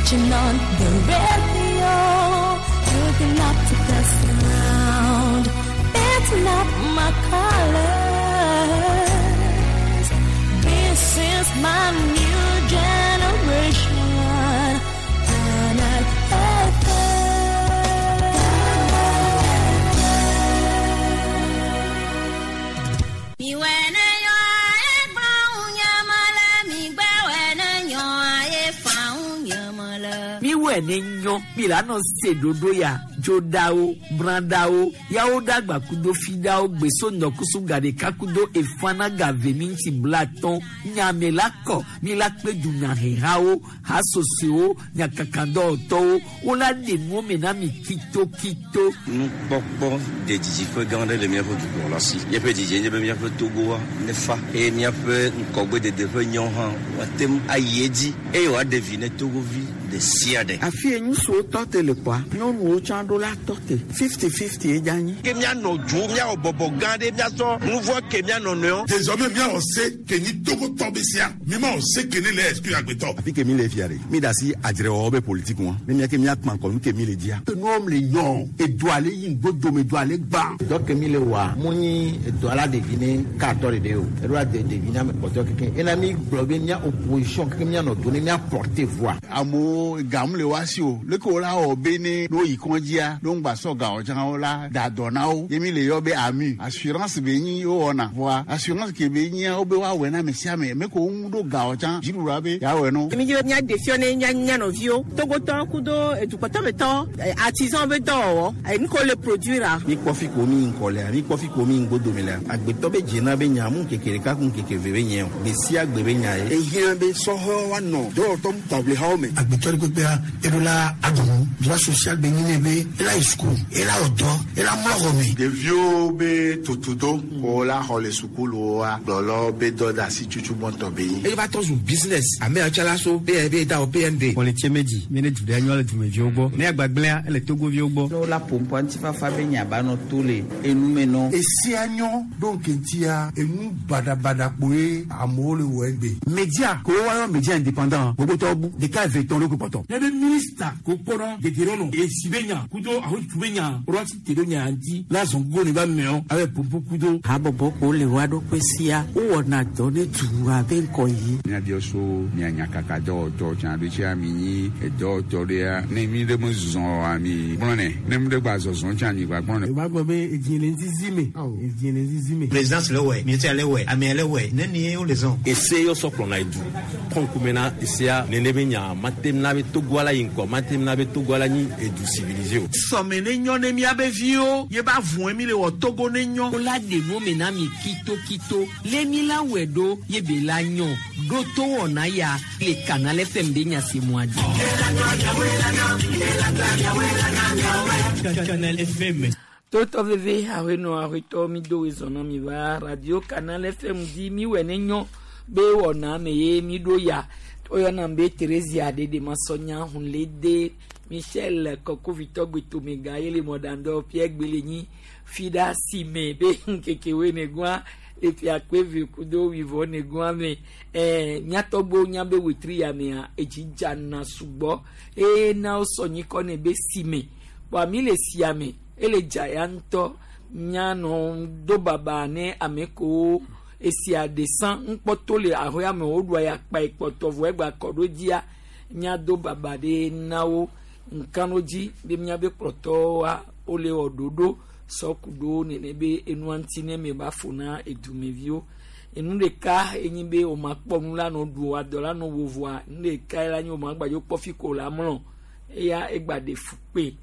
Switching on the radio, looking up to the sound. It's not my colors. This is my new generation. And Miwɔe ne nyɔ mi la nɔ se ɖoɖo ya dzoɖawo bradawo yawo ɖagba kudo fiɖawo gbeso ŋdɔkusu gaɖeka kudo efana gave mi ŋuti blatɔn nyame la kɔ mi la kpe dunyahehawo hasosoewo nyakakadɔwɔtɔwo wola ɖe nuwo me na mi kitokito. Nukpɔkpɔ de didiƒe gã aɖe le míaƒe dukplɔla si. Míaƒe didie nye be míaƒe Togoa nefa eye míaƒe ŋgɔgbedede ƒe nyawo hã woate ŋu ayi edzi eye wòaɖe vi ne Togovi ɖe sia ɖe. Afi ye ŋutsuwo tɔ te le kpɔa, nyɔnuwo tsã ɖo la tɔ te. 50-50 ye dze anyi. Ke míanɔ dzo, míawɔ bɔbɔ gã ɖe, míasɔ nu vɔ̃ ke mía nɔnɔewo. Désormais míawɔ se ke nyi Togotɔ be sia, mímawɔ se ke ne le exclure agbetɔ. Afi ke mi le fia ɖe, mi ɖe asi adzrewɔwɔ be politique ŋua, ne mía ke míakpã ŋkɔ nu ke mi le dzia. Enuwo le nyɔ, edoa le yi ŋgbodome, edoa le gbã. Dɔ ke mi le wɔa, mu nyi edoa la ɖevi ne katɔ ɖeɖe o, eɖo ade ɖevi ne ame kpɔtɔe keke. Ena mi gblɔ be mía opposition keke míanɔ do ne mía porter voix. Amewo gam le woa si o, leke wo la wɔ be ne ne woyi kɔdzia, ne woŋgba sɔ gawo tsã wo la da dɔ na wo. Ye mi le yɔ be AMU, assurance be nyi wowɔna. Vɔa assurance ke be nyia wobe woawɔe na ame sia ame. Me ko woŋu ɖo gawo tsã, dziɖuɖua be yeawɔe no. Mi dzi be míaɖe fiɔ ne mía mía nɔviwo, Togotɔwo kudo edukpɔtɔmetɔwo, artisan be dɔwɔwɔ, nu ke wole produire. Mi kpɔ fi ko mi yi ŋkɔ lea, mi kpɔ fi ko mi yi ŋgbodome lea, agbetɔ be dzena be nya mu ŋkeke ɖeka ku ŋkeke eve be nye o, gbe sia gbe be nya ye. Ehiã be sɔhɛwo woanɔ dɔwɔtɔ taʋlihawo me. Agbetɔ ɖe kpekpea, eɖo la aɖu nu. Droit social be nyi nɛ be ela yi suku, ela wɔ dɔ, ela mlɔ xɔ me. Ɖeviwo be tutudo ko la xɔ le sukuluwoa, kplɔlawo be dɔ de asi tutu gbɔntɔ be nyi. Eye va trɔ zu business. Ame ya tsã la so be da wɔ PND. Xɔ le tse me dzi, mi ne du ɖe nyɔ le dumeviwo gbɔ. Ne agbagblẽa, ele Togoviwo gbɔ. Ne wola ƒoƒua ŋutifafa be nya ba nɔ to le enume nɔ. Esia nyɔ ɖo ŋkeŋtia, enu baɖabaɖa kpoe amewo le wɔ egbe. Media ko woayɔ media indépendant gbogbotɔwo bu ɖeka eve tɔn ɖo kpɔtɔ. Ne be minista ko kpɔnɔ gege nɔ esi be nya kudo ahotu be nya ɖo te ɖo nya ŋuti la zɔn go ne ba mɛɔ abe popo kudo. Habɔbɔ ko le wa ɖokui sia wowɔna dɔ ne dua be ŋkɔ yi. Míabiɔ so mia nyakaka dɔwɔtɔ tsã ɖo tsia mi nyi edɔwɔtɔ ɖea ne mi ɖe me zɔ ami gblɔ nɛ ne mi ɖe gba zɔzɔ tsã mi gba gblɔ nɛ. O b'a gbɔ be edzi le ŋzizi me edzi le ŋzizi me. Présidence le wɛ, ministère le wɛ, amea le wɛ, nenie wole zɔn. Ese yɔ sɔ kplɔna edu kɔnkume na esea nene be nya matem na be Togoa la yi ŋkɔ matem na be Togoa la nyi edu civilisé o. Sɔme ne nyɔ ne míabe viwo ye ba vɔe mi le wɔ Togo ne nyɔ. Wola ɖe nuwo me na mi kitokito lé mi la wɔe ɖo ye be la nyɔ ɖo to wɔna ya le Canal FM be nya se mua dzi. Canal FM. Totɔ veve ahenɔ ahetɔ mi do wezɔnɔ mi va radio Canal FM dzi mi wɔ ne nyɔ be wɔna me ye mi ɖo ya woyɔna be Theresia ɖeɖe masɔnya hunlede Michel Kɔkovitɔ gbetomega ye le mɔɖaŋdɔ Pierre Gbelenyi fiɖa si me be ŋkekewoe negua le fia kpe eve kudo wivɔ negua me míatɔgbewo nya be wetri ya mea edzi dzana sugbɔ eye na wosɔ nyikɔ ne be si me kpɔa mi le sia me ele dza ya ŋutɔ mianɔ do baba ne ame kewo esia ɖe ŋkpɔtɔ le ahoya me woɖua ya kpa ekpɔtɔ vɔ egba kɔ ɖo dzia miado baba ɖe na wo ŋkano dzi be miabe kplɔtɔwoa wole wɔ ɖoɖo sɔ ku ɖo nene be enua ŋuti ne me ba fo na edumeviwo enu ɖeka enyi be wo ma kpɔ nu la nɔ ɖu adɔ la nɔ vovoa nu ɖeka la nyi wo ma gbadzo kpɔ fi ko la mlɔ eya egba ɖe fu kpe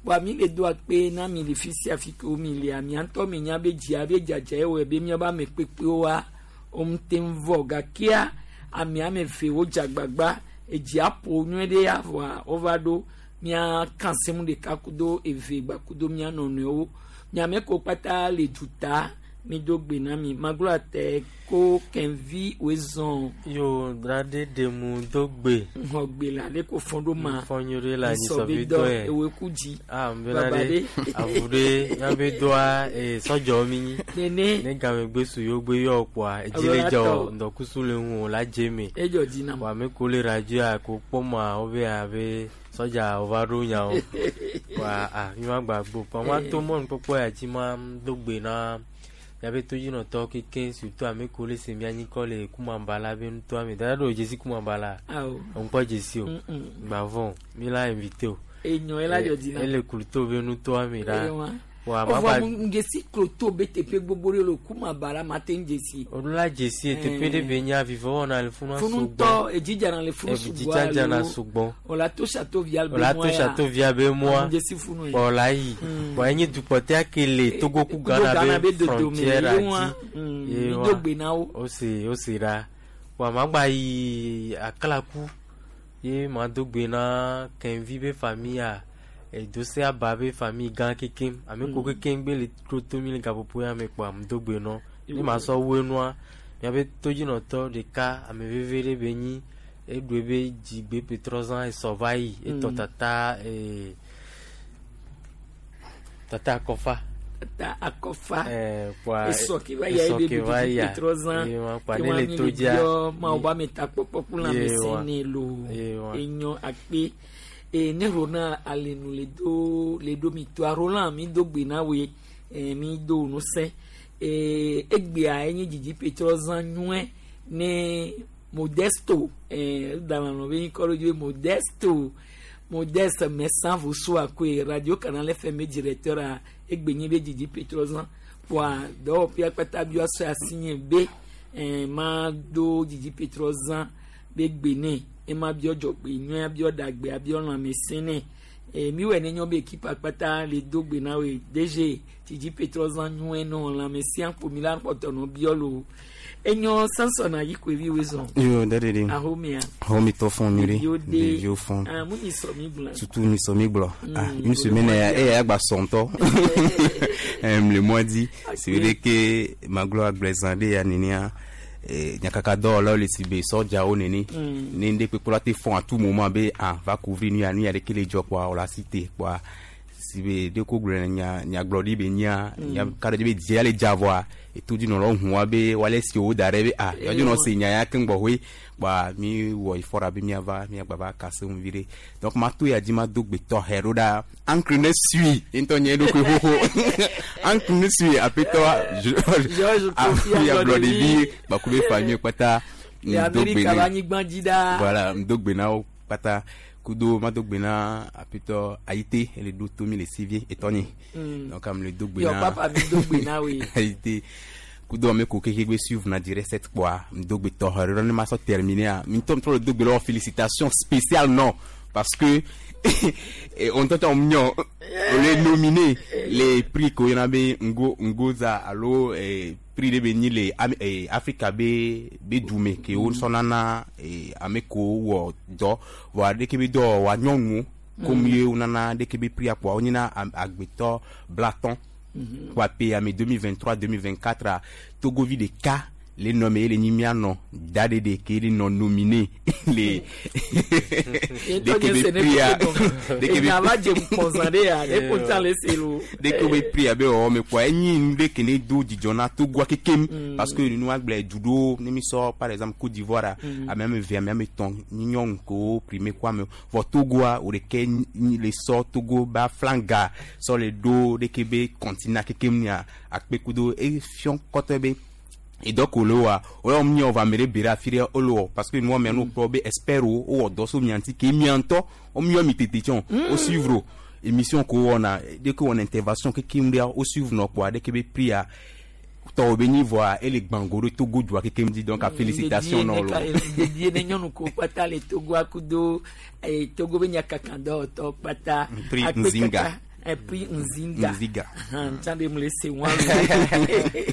kpɔa mi le do akpe na mi le fi sia fi ke wo mi lea mia ŋutɔ mi nya be dzia be dzadza ewɔe be miabe ame kpekpewoa wo ŋute ŋu vɔ gakea ame ame eve wo dze agbagba edzia ƒo nyuie ɖe ya vɔa wova ɖo mia kan semu ɖeka kudo eve gba kudo mia nɔnɔewo miame ko kpata le duta. Mi do gbe na mi. Maglo ate ko kenvi wezɔn. Yo drade demu do gbe. Ŋɔ gbe la ale ko fɔn ɖo ma. Fɔn ɖo la Nisɔ be nyisɔ be dɔ dɔ yɛ. ewe ku dzi. Ah nbena Baba ɖe ɖe. avu ɖe miabe dɔa ee sɔdzɔ mi nyi. Nene. Ne game gbe su yewo gbe yɔ kpoa edzi le Alo dzɔ atɔ. ŋdɔkusu le ŋu o la dze me. Edzɔ dzi nam. Wa ame ko le radio a ko kpɔ ma wo be abe sɔdza wova ɖo nyawo. Wa a mi ma gba gbo kpoa ma to mɔnukpɔkpɔ ya dzi ma do gbe na miabe todzinɔtɔwo kekeŋ surtout ame ko le se mia nyikɔ le kumaba la be nutoa me. Dada ɖe o dzesi kumaba la. Awo. Ŋkpɔ dzesi o. Mm-mm. Gbavɔ mi la invité o. Enyo ye la dzɔ dzi nam. Ele Kluto be nutoa me ɖa. Eye wa. Wa ma Ɔvɔ gba mu ŋdzesi kloto be teƒe gbogbo ɖe le kumaba la ma te ŋdzesi. o la dzesi teƒe ɖe be nya vivɔ wɔna le funu Funu sugbɔ. ŋutɔ edzidzana le funu sugbɔ Edzidzana alo sugbɔ. Ola to château via be O la to mɔa ya. château via be mɔa. Ŋdzesi funu ye. Kpɔ la yi. Bɔn enye dukpɔtɛa ke le Togo ku Ghana Ghana be be dodome, frontière ye wa. dzi. Ye Mi wa. do gbe na wo. O se o se ɖa. Wa ma gba yi Aklaku ye ma do gbe na Kenvi be famille a Edose Aba be famille gã kekeŋ. Ame ko kekeŋ gbe le tro to mi le gaƒoƒo ya me kpoa me do gbe nɔ. Ne ma sɔ wu enua miabe todzinɔtɔ ɖeka ame veve ɖe be nyi eɖu ebe dzigbe petrɔzã esɔ va yi etɔ tata ee tata akɔfa. Tata akɔfa. Ɛɛ kpoa Esɔ ke va ya esɔ ebe ke va ɖuɖuɖu ya. petrɔzã. Ye wa kpoa Ke ne wa le mi to le dzia. biɔ Mawu be ametakpɔkpɔ ku Ye wa. lãmesẽ nɛ loo. Ye wa. Enyo akpe. E ne Roland alenu le do le do mi toa Roland mi do gbe na woe e, mi do ŋusẽ e, egbea enye dzidzi petrɔzã nyuie ne Modesto e, dana nɔ be ŋkɔ ɖo dzi be Modesto Modeste Messan Vosu akoe Radio Canal FM be directeur a egbe nye be dzidzi petrɔzã kpoa dɔwɔƒea kpata biɔ sɔ asi nye be e, ma do dzidzi petrɔzã be gbe nɛ ema biɔ dzɔgbe nyuie abiɔ ɖagbe abiɔ lãmesẽ nɛ e, mi wɔ ne nyɔ be ekipa kpata le do gbe na woe DG dzidzi petrɔzã nyuie nɔ lãmesẽa ƒomi la kpɔtɔ nɔ biɔ lo enyɔ Samson Ayikoevi woe zɔn Yo, daddy. ahomea Homie to fond nuri. Ɖeviwo de Ɖeviwo fond. ah mu nyi sɔ mi gblɔ Surtout mi sɔ mi gblɔ. Ah, une le semaine mois eh di. eh agba sɔntɔ. Le mois di. C'est vrai que maglo agblezan de ya nenia. Eh, nyakaka dɔwɔlawo le si be sɔdzawo nene. Ne ŋɖe kpekpe la te fɔn à tout moment be ah va couvrir nu ya nu ya ɖeke le dzɔ kpoa wòle asi te kpoa si be ɖe ko gblɔ nya nyagblɔɖi be nya nya ka ɖe dzi be dzia le dza vɔa etodzinɔlawo hu wa be woale si wo da ɖe be ah yɔdzi nɔ se nya ya keŋ gbɔxɔe kpoa mi wɔ ifɔ ɖa be miava miagba va kase ŋu vi ɖe donc ma to ya dzi ma do gbe tɔxɛ ɖo ɖa ankle ne sui ŋutɔ nye eɖokui xoxo ankle ne sui aƒetɔ Georges Kofi ablɔɖevi kpakple be famille kpata le ŋdo gbe Amerika ne be anyigba dzi ɖaa voilà ŋdo gbe na wo kpata kudo ma do gbe na aƒetɔ ayite ele ɖo to mi le sivie etɔnye donc ame le do gbe Yɔ na papa mi do gbe na woe ayite kudo ame ko keke gbe suivre na direct cette kpoa ŋdo gbe tɔxɛ ɖe ne ma sɔ terminer a mi ŋutɔ ŋutɔ le do gbe la wɔ félicitation spéciale non parce que et on t'entend mignon on est nominé les prix ko yɔna be ngo ngoza alo eh, prix ɖe be nyi le eh, Afrika be be dume ke wo sɔna na eh, ame ko wɔ dɔ vɔa ɖeke be dɔ wa nyɔnuwo comme ye wonana ɖeke be prix kpoa wonyina agbetɔ blatɔn kpoa pe ame 2023 2024 a togovi ɖeka le nɔ me ye le nyi mianɔ da ɖeɖe ke le nɔ nominé le Ŋutɔ nye se ne prix a koko gɔme. ɖeke be Enya va dze ŋkpɔzã ɖe ya ɖe ko tsã le se lo. ɖeke be prix abe wɔwɔ me kpoa enyi nu ɖe ke ne do dzidzɔ na togoa kekem parce que nua gblɔ du ɖewo ne mi sɔ par exemple Côte d'Ivoire a ame ame eve ame ame etɔ̃ nyi nyɔnu kewo primé ko ame vɔ togoa wo ɖeke nyi le sɔ togo ba flanga sɔ le ɖo ɖeke be continent kekem nia akpe kudo efiɔ kɔtɔe be edɔ ko le wa o mi wɔ ame ɖe be ɖe afi ɖe wole wɔ parce que nua mia no kplɔ be expert wo wowɔ dɔ so mia ŋuti ke mia ŋutɔ wo miɔ mi tete tsɔn wo suivre o émission ko wɔna ɖeke wɔna intervention kekem ɖea wo suivre nɔ kpoa ɖeke be prix a tɔwɔ be nyi vɔa ele gbãgo ɖe Togo dua kekem dzi donc a félicitation nɔ lo. Dedie ne nyɔnu ko kpata le Togoa kudo eh, Togo be nyakaka dɔwɔtɔ kpata. Prix Akpe Nzinga. kaka, eh, prix Nzinga. Nzinga. Ahan, tsã ɖe mu le se wɔn lo.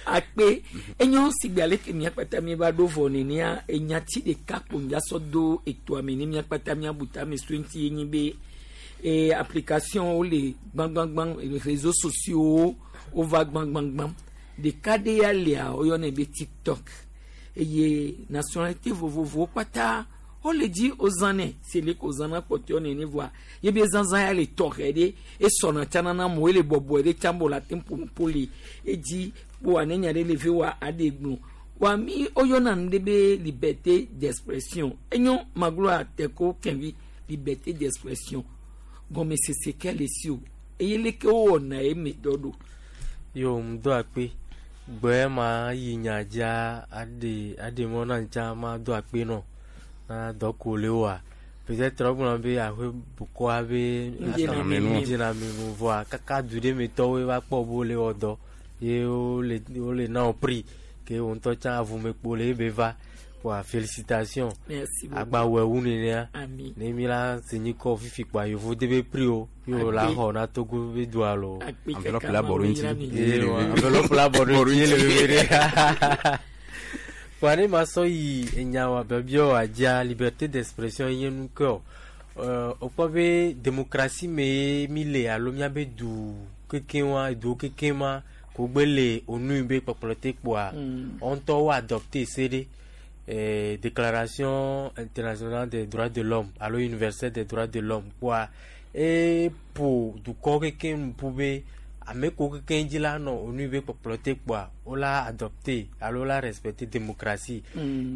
Akpe enyo sigbe ale ke mia kpata mi va ɖo vɔ nenea enyati ɖeka kpo ŋdza sɔ do etoa me ne mia kpata mia bu tame so ŋuti ye nyi be eh, application wo le gbãgbãgbã réseaux sociaux wova gbãgbãgbã Ɖeka ɖe ya lia woyɔnɛ be TikTok eye nationalité vovovowo kpata wole dzi wozãnɛ si le ko wozãna kpɔtɔewo nene voa ye be zazã ya le tɔxɛ ɖe esɔna tsana na amewo ele bɔbɔe ɖe tsã bo le ate ŋu ƒo nuƒo le edzi kpoa ne nya ɖe le ve wa aɖe gblɔ wa mi woyɔna nu ɖe be liberté d'expression enyo magloa teko kɛnvi liberté d'expression gɔmesese ke le si o eye leke wowɔna eme dɔ ɖo. Yo ŋdo akpe gbɛ ma yi nya dzia aɖe aɖe mɔ na ŋtsa ma do akpe nɔ na dɔko le wa peut-être wogblɔ be aƒe bukɔa be Ŋdzinamenu. ŋdzinamenu vɔa kaka du ɖe me tɔwoe va kpɔ be wole wɔ dɔ ye wole wole na wo prix ke wo ŋutɔ tsã avumekpo le ebe va kpoa félicitation Merci beaucoup. agbawɔe wu nenea Ami. ne mi la se nyikɔ fifi kpoa yevu de be prix o ye wo la Akpe. xɔ na Togo be dua lo. Akpe Enveloppe kaka la ma bɔrɔ wo ŋuti. yra mi. Ye wa, enveloppe la bɔ ɖo ŋuti ye le veve ɖe. Kpoa ne ma sɔ yi enya wa biɔbiɔ wa dzia liberté d'expression ye nu ke o. Wokpɔ be démocratie me ye mi le alo miabe du kekeŋ wa eduwo kekeŋ ma ko gbe le onu yi be kpɔkplɔ te kpoa wo ŋutɔ wo adopté se ɖe déclaration internationale des droits de l'homme alo universelle des droits de l'homme kpoa eƒo dukɔ kekeŋ nu ƒu be ame ko kekeŋ dzi la nɔ onu yi be kpɔkplɔ te kpoa wola adopté alo wola respecté démocratie.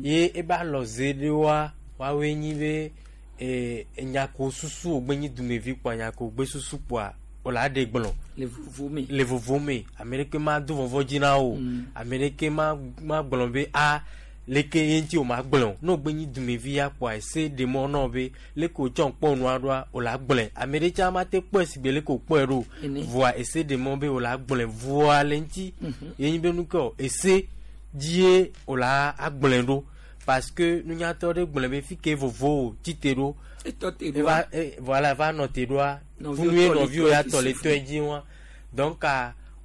Ye ebe alɔze ɖewoa woawoe nyi be enya ko susu wògbe nyi dumevi kpoa nya ko wògbe susu kpoa wola ɖe gblɔ le vovo me. le vovo me ame ɖeke ma do vɔvɔ dzi na wo ame ɖeke ma ma gblɔ be a leke ye ŋuti o ma gblɔ o ne wògbe nyi dumevi ya kpoa ese ɖe mɔ na wo be leke wòtsɔ kpɔ nua ɖoa wòla gblɔe ame ɖe tsã ma te kpɔe si gbe leke wòkpɔe ɖo Ene. voa ese ɖe mɔ be wòla gblɔe voa le ŋuti ye nyi be nu ke o ese dzie wòla agblɔe ɖo parce que nunyatɔ ɖe gblɔe be fi ke vovo o tsi te ɖo Etɔ te ɖoa. eva voilà va nɔ te ɖoa Nɔviwo funu ye tɔ le nɔviwo ya tɔe tɔ le dzi tɔe dzi wa donc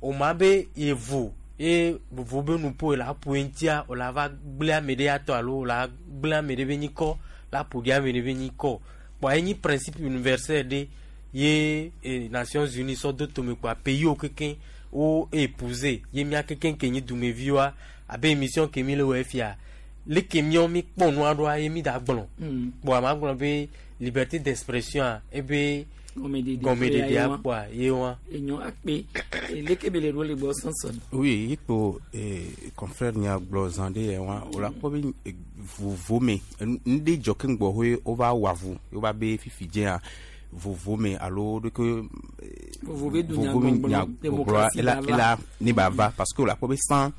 o ma be yevo ye vovo be nuƒo la ƒo ŋutia o la va gblẽ ame ɖe ya tɔ alo o la gblẽ ame ɖe be nyikɔ la ƒo ɖi ame ɖe be nyikɔ kpoa enyi principe universel ɖe ye Nations Unies sɔ do tome kpoa pays wo kekeŋ wo épouser ye mía kekeŋ ke nyi dumeviwoa abe émission ke mi le wɔ fia leke míawo mi kpɔ nua ɖoa ye mi da gblɔ kpoa ma gblɔ be liberté d'expression a ebe Gɔmeɖeɖe gɔmeɖeɖea wa. kpoa ye wa. Enyo akpe leke be le ɖo le gbɔ sɔnsɔn. Oui, yikpo confrère nya gblɔ zã ɖe yɛ wa o la kpɔ be vovo me nu ɖe dzɔ ke ŋgbɔ hoe wova wɔ avu wova be fifi dzea vovo me alo ɖeke Vovo be dunya vovo me gbɔgblɔ, nya gbɔgblɔa démocratie ela va va. ela ne ba va parce que o la kpɔ be san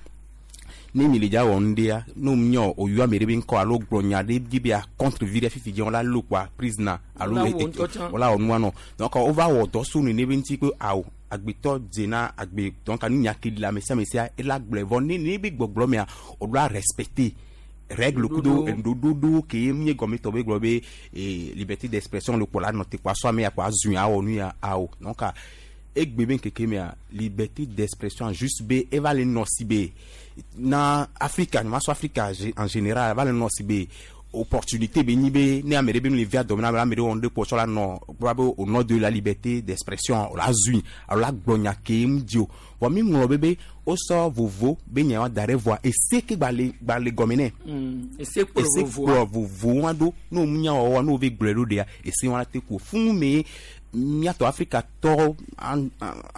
ne mi le dza wɔ nu ɖea ne míɔ oyɔ ame ɖe be ŋkɔ alo gblɔ nya ɖe dzi be a contre vi ɖe fifi dze wola lo kpoa prisoner alo Wola wɔ ŋutɔ tsã. wola wɔ nua nɔ donc wova wɔ dɔ so nene be ŋuti be awo agbetɔ dzena agbe donc nu nya ke le ame sia ame sia ela gblɔe vɔ ne ne be gbɔgblɔ mea o ɖo a respecter règle kudo ɖoɖoɖo ke ye míe gɔmetɔ be gblɔ be liberté d'expression le kpɔ la nɔ te kpɔ asɔ ame ya kpɔ azui awɔ nu ya awo donc egbe be ŋkeke mea liberté d'expression juste be eva le nɔ si be na Afrika nyɔma sɔ Afrika en général eva le nɔ si be opportunité be nyi be ne ame ɖe be nu le via dɔme na ame ɖe wɔ nu ɖe kpɔ tsɔ la nɔ gblɔ be au nom de la liberté d'expression o la zui alo la gblɔ nya ke ŋu dzi o vɔ mi ŋlɔ be be wosɔ vovo be nya wa da ɖe vɔa ese ke gba le gba le gɔme nɛ Ese kplɔ ese vovoa. kplɔ vovo wa ɖo ne wo nya wɔwɔ ne wo ve gblɔe ɖo ɖea ese wa te ko funu me miatɔ Afrika tɔ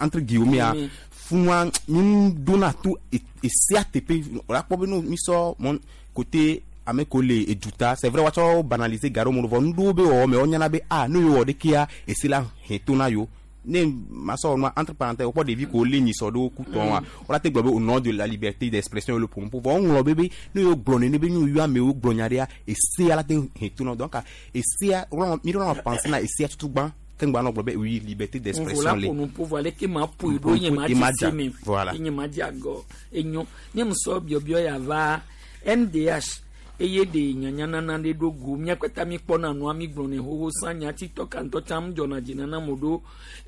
entre guillemets Mm. funua mi dona to esea teƒe o la kpɔ be no mi sɔ mɔ côté ame ko le eduta c'est vrai woatsɔ banaliser ga ɖewo me vɔ nuɖewo be wɔwɔ me wonyana be ah ne yewo wɔ ɖekea ese la hɛ to na yewo ne masɔ wɔ nua entre parenthèses wokpɔ ɖevi ko lé nyisɔ ɖewo ku tɔn wa wola te gblɔ be au nom de la liberté d'expression le ƒomeƒo vɔ woŋlɔ be be ne yewo gblɔ nene be ne yewo amewo gblɔ nya ɖea esea la te hɛ to na wo donc esea mi ɖo na penser na esea tutu gbã ke ŋgba nɔ gblɔ be oui liberté Vovo d'expression la le ƒo nuƒo vɔ aleke ma ƒoe ɖo nye ma Ye ma dze dza. si me. Voilà. Nye ma dze agɔ enyo nye musɔ biɔbiɔ ya va NDH eye ɖe nyanyanana ɖe ɖo go mía kpata mi kpɔna nua mi gblɔnɛ xoxo sã nyati tɔ ka ŋutɔ tsã dzɔna dzi nana mo ɖo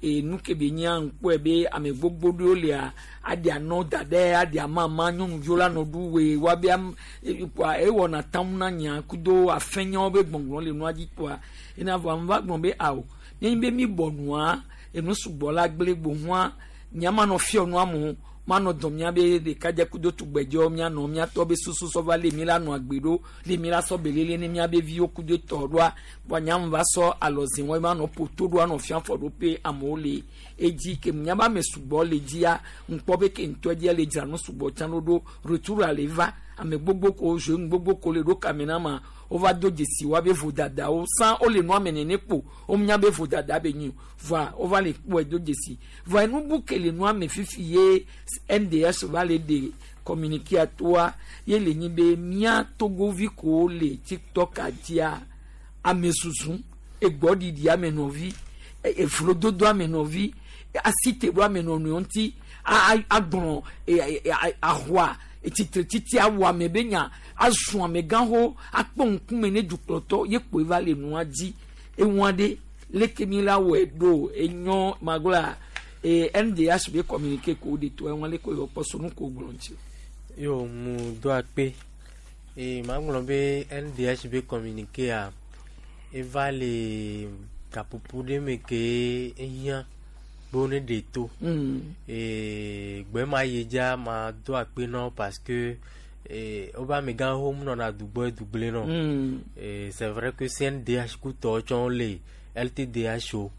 e nu ke be nyia ŋkpɔe be ame gbogbo ɖewo lia aɖi anɔ da ɖe aɖi amama nyɔnuviwo la nɔ ɖu we woabe am kpoa ewɔna tam na nya kudo afɛnyawo be gbɔngbɔn le nua dzi kpoa ena vɔ ame va gblɔ be awo nenye be mi bɔ nua enu sugbɔ la gblẽ gbohua nyama nɔ fiɔ nua mo Manɔ dɔn miabe ɖekadze kudo tugbedzewo mianɔ miatɔ be susu sɔ va le mi la nɔ agbe ɖo le mi la sɔ belele ne miabe viwo kudo tɔ ɖoa kpɔa nyamu va sɔ alɔzi wɔn ma nɔ poto ɖo anɔ fia fɔ ɖo pe amewo le edzi ke miabe ame sugbɔ le dzia ŋkpɔ be ke ŋutɔ dzia le dzra nu sugbɔ tsã ɖo ɖo retour le va ame gbogbo ko jeune gbogbo ko le ɖo kame na ma wova do dzesi woabe vodadawo san wole nua me nene kpo womenya be vodada be nyi o voa wova le kpɔe do dzesi voa enubu ke le nua me fifi ye NDS va le ɖe communiqué toa ye le nyi be mía togovi kowo le TikTok dzia ame susu egbɔɖiɖi ame nɔvi evlododo ame nɔvi asite ɖo ame nɔnɔewo ŋuti agblɔ ahoa etsitretiti awɔ ame be nya azu amegãxo akpɔ ŋkume ne dukplɔtɔ ye kpoe va le nua dzi eŋua ɖe leke mi la wɔe ɖo enyɔ magblɔa ee NDH be communiqué ko de to eŋua leke yɔ kpɔ sonu ko gblɔ ŋuti. Yo mu do akpe ee magblɔ be NDH be communiqué a eva le gaƒoƒo ɖe me ke ehiã be wo ne ɖe to. Ee gbe ma yi dzia ma do akpe na wo parce que ee wobe amegãwo nɔna dugbɔ dugble nɔ. Ee c'est vrai que CNDH kutɔwo tsɔ le LTDH o.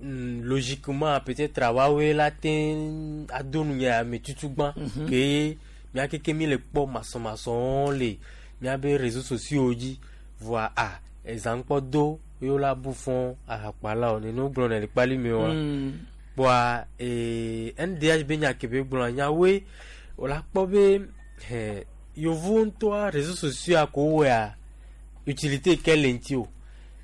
Logiquement peut-être woawoe la te ado nu nya ame tutugbã ke mía keke mi le kpɔ masɔmasɔwo le míabe réseaux sociaux dzi voa a ezã kpɔ do ye wola bu fɔ ahakpala o nene wogblɔ ne le kpali me wa kpɔa ee NDH be nya ke be gblɔ nyawoe wola kpɔ be hɛ yevu ŋutɔa réseaux sociaux ko wɔa utilité ke le ŋuti o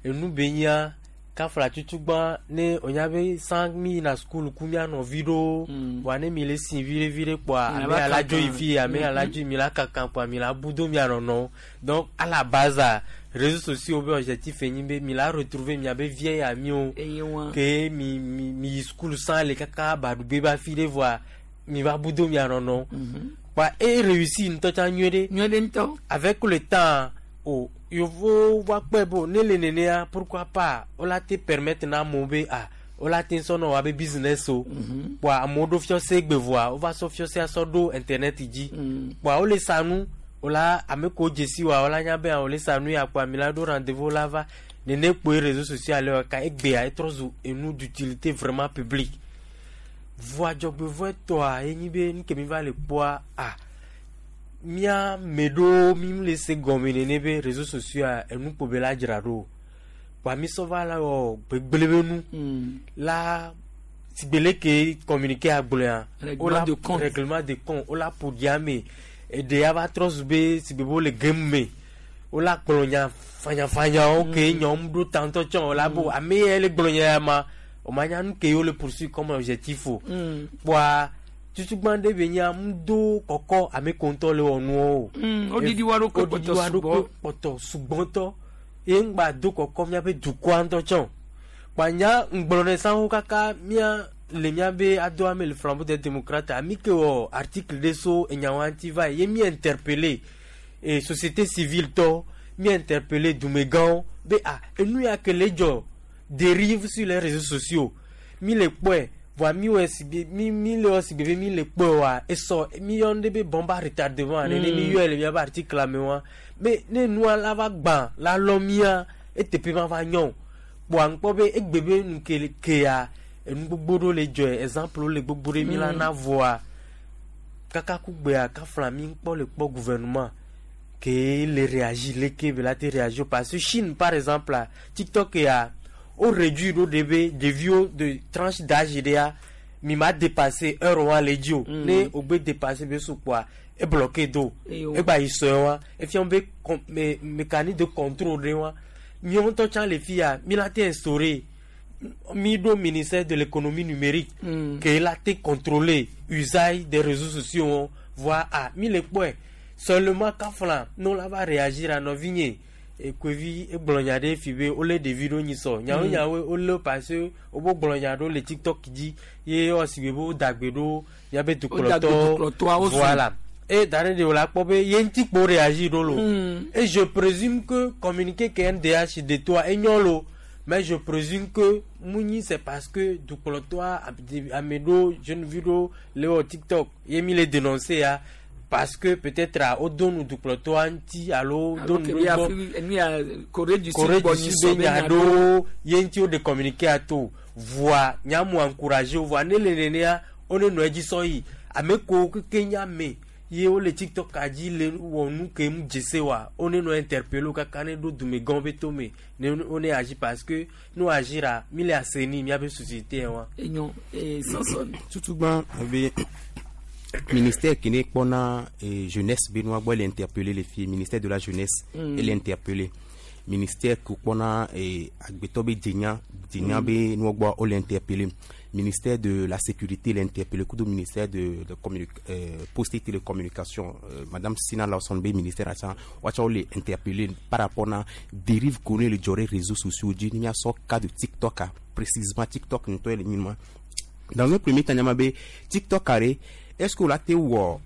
enu be nyia kafla tutugbã ne wonya be san mi yina sukulu ku mía nɔvi ɖewo voa ne mi le si viɖe viɖe kpɔa Mi ame la ya la dzo yi kankan. fi ame ya la dzo yi mi la kankan kpɔa mi la bu do mia nɔnɔwo. Donc à la base a réseaux sociaux be objectif enyi be mi la retrouver miabe vieille amiwo Eye wa. ke mi mi mi yi sukulu san le kaka baɖugbe ba fi ɖe voa mi va bu do mia nɔnɔwo kpɔa e réussi ŋutɔ tsã nyuie ɖe. Nyuie ɖe ŋutɔ. Avec le temps o yevuwo va kpɔe be o ne le nenea pourquoi pas wola te permettre na amewo be ah wola te sɔ nɔ woabe business o kpɔa amewo ɖo fiɔse gbe voa wova sɔ fiɔsea sɔ ɖo internet dzi kpɔa wole sa nu wola ame kewo dzesi wa wola nya be ah wole sa nu ya kpɔa mi la ɖo rendez-vous la va nene kpoe réseaux sociaux ale wɔ ka egbea etrɔ zu enu d'utilité vraiment publique voa dzɔgbevɔe tɔa ye nyi be nu ke mi va le kpɔa ah mía me ɖewo mi le se gɔme nene be réseaux sociaux a enu kpo be la dzra ɖo kpɔa mi sɔ va la wɔ gbegblẽ be nu la sigbe leke communiqué agblɔa Règlement de compte. Règlement de compte wola ƒo ɖi ame eɖe ya va trɔ zu be sigbe be wole game me wola gblɔ nya fanyafanyawo ke nyawo ɖo ta ŋutɔ tsɔ wola bo ame ya le gblɔ nya ya ma o ma nya nu ke wole poursuivre comme objectif o kpɔa tutugbã ɖe be nya ŋdo kɔkɔ ame ko ŋutɔ le wɔ nuwo o. Woɖiɖi wa ɖokui Woɖiɖi kpɔtɔ wa sugbɔ. ɖokui kpɔtɔ sugbɔtɔ ye ŋgba do kɔkɔ míaƒe dukɔa ŋutɔ tsɔ kpa nya ŋgblɔ ne sanwo kaka mía le míabe adoa me le Flambeau des démocrates ami ke wɔ article ɖe so enyawo ŋuti va yi ye mi interpellé e société civile tɔ mi interpellé dumegãwo be ah enu ya ke le dzɔ dérive sur les réseaux sociaux mi le kpɔe voa mi wɔ sigbe mi mi le wɔ sigbe be mi le kpɔe wa esɔ mi yɔ nu ɖe be bombe à retardement nene mi yɔe le miabe article me wa me ne nua la va gbã la lɔ mia eteƒe ma va nyɔ o kpɔa ŋkpɔ be egbe be nu ke kea enu gbogbo ɖewo le dzɔe exemple wo le gbogbo ɖe mi la na voa kaka kugbea kafla mi ŋkpɔ le kpɔ gouvernement ke le réagir leke be la te réagir parce que Chine par exemple la TikTok ya o réduit ɖo ɖe be ɖeviwo de tranche d'âge ɖea mi ma dépasser heure wa le dzi o ne o gbe dépasser be so kpoa e bloqué do Eyo. egba yi sɔe wa efia be mécanisme de contrôle ɖe wa miawo ŋutɔ tsã le fi ya mi la te instaurer mi ɖo ministère de l'économie numérique ke la te contrôler usage des réseaux sociaux wɔn voa ah mi le kpɔe seulement kafla ne la va réagir a nɔvinye ekovi egblɔ nya ɖe fi be wolé ɖevi ɖo nyi sɔ nyawo nyawoe wolé parce que wobe gblɔ nya ɖo le TikTok dzi ye ewɔ si be woda gbe ɖo miabe Woda gbe dukplɔtɔwo dukplɔtɔawo sùn. Voilà et da ɖe ɖe wòle akpɔ be ye ŋuti kpo réagir ɖo lo et je présume que communiqué ke NDH de toa enyɔ lo. Mais je présume que Mouni, c'est parce que dukplɔtɔa ame ɖewo jeune vi ɖewo le wɔ TikTok ye mi le dénoncer ya parce que peut-être a wodo nu dukplɔtɔa ŋuti alo do nu ke ɖe bi gbɔ. Afri nu ya Corée du Sud Corée gbɔ du nyi Sud sɔ be be nya nya ɖo ɖewo ye ŋuti woɖe communiqué ato voa nyamu encouragé wo voa ne le nenea wone nɔ edzi sɔ yi ame kewo keke nye ame ye wole TikTok a dzi le wɔ nu ke mu dzese wa wone nɔ interpellé wo kaka ne ɖo dumegãwo be tome ne wone agi parce que ne wo agira mi le assainir miabe société wa. Enyo ee Samson. Tutugba be ministère qui n'est kpɔna jeunesse be nua gbɔ ele interpellé le fie ministère de la jeunesse. Ele interpellé ministère ke kpɔna agbetɔ be dzenya dzenya be nua gbɔ wole interpellé ministère de la sécurité le interpellé kudo ministère de poste et télécommunication, madame Sina Lawson be ministère atsa woatsa wole interpellé par rapport na dérive ko ne le dzɔ ɖe réseaux sociaux dzi ne míasɔ cas de TikTok a précisément TikTok ŋutɔ ye le nyi ma. Dans un premier temps nyama be TikTok are est ce que la te wɔ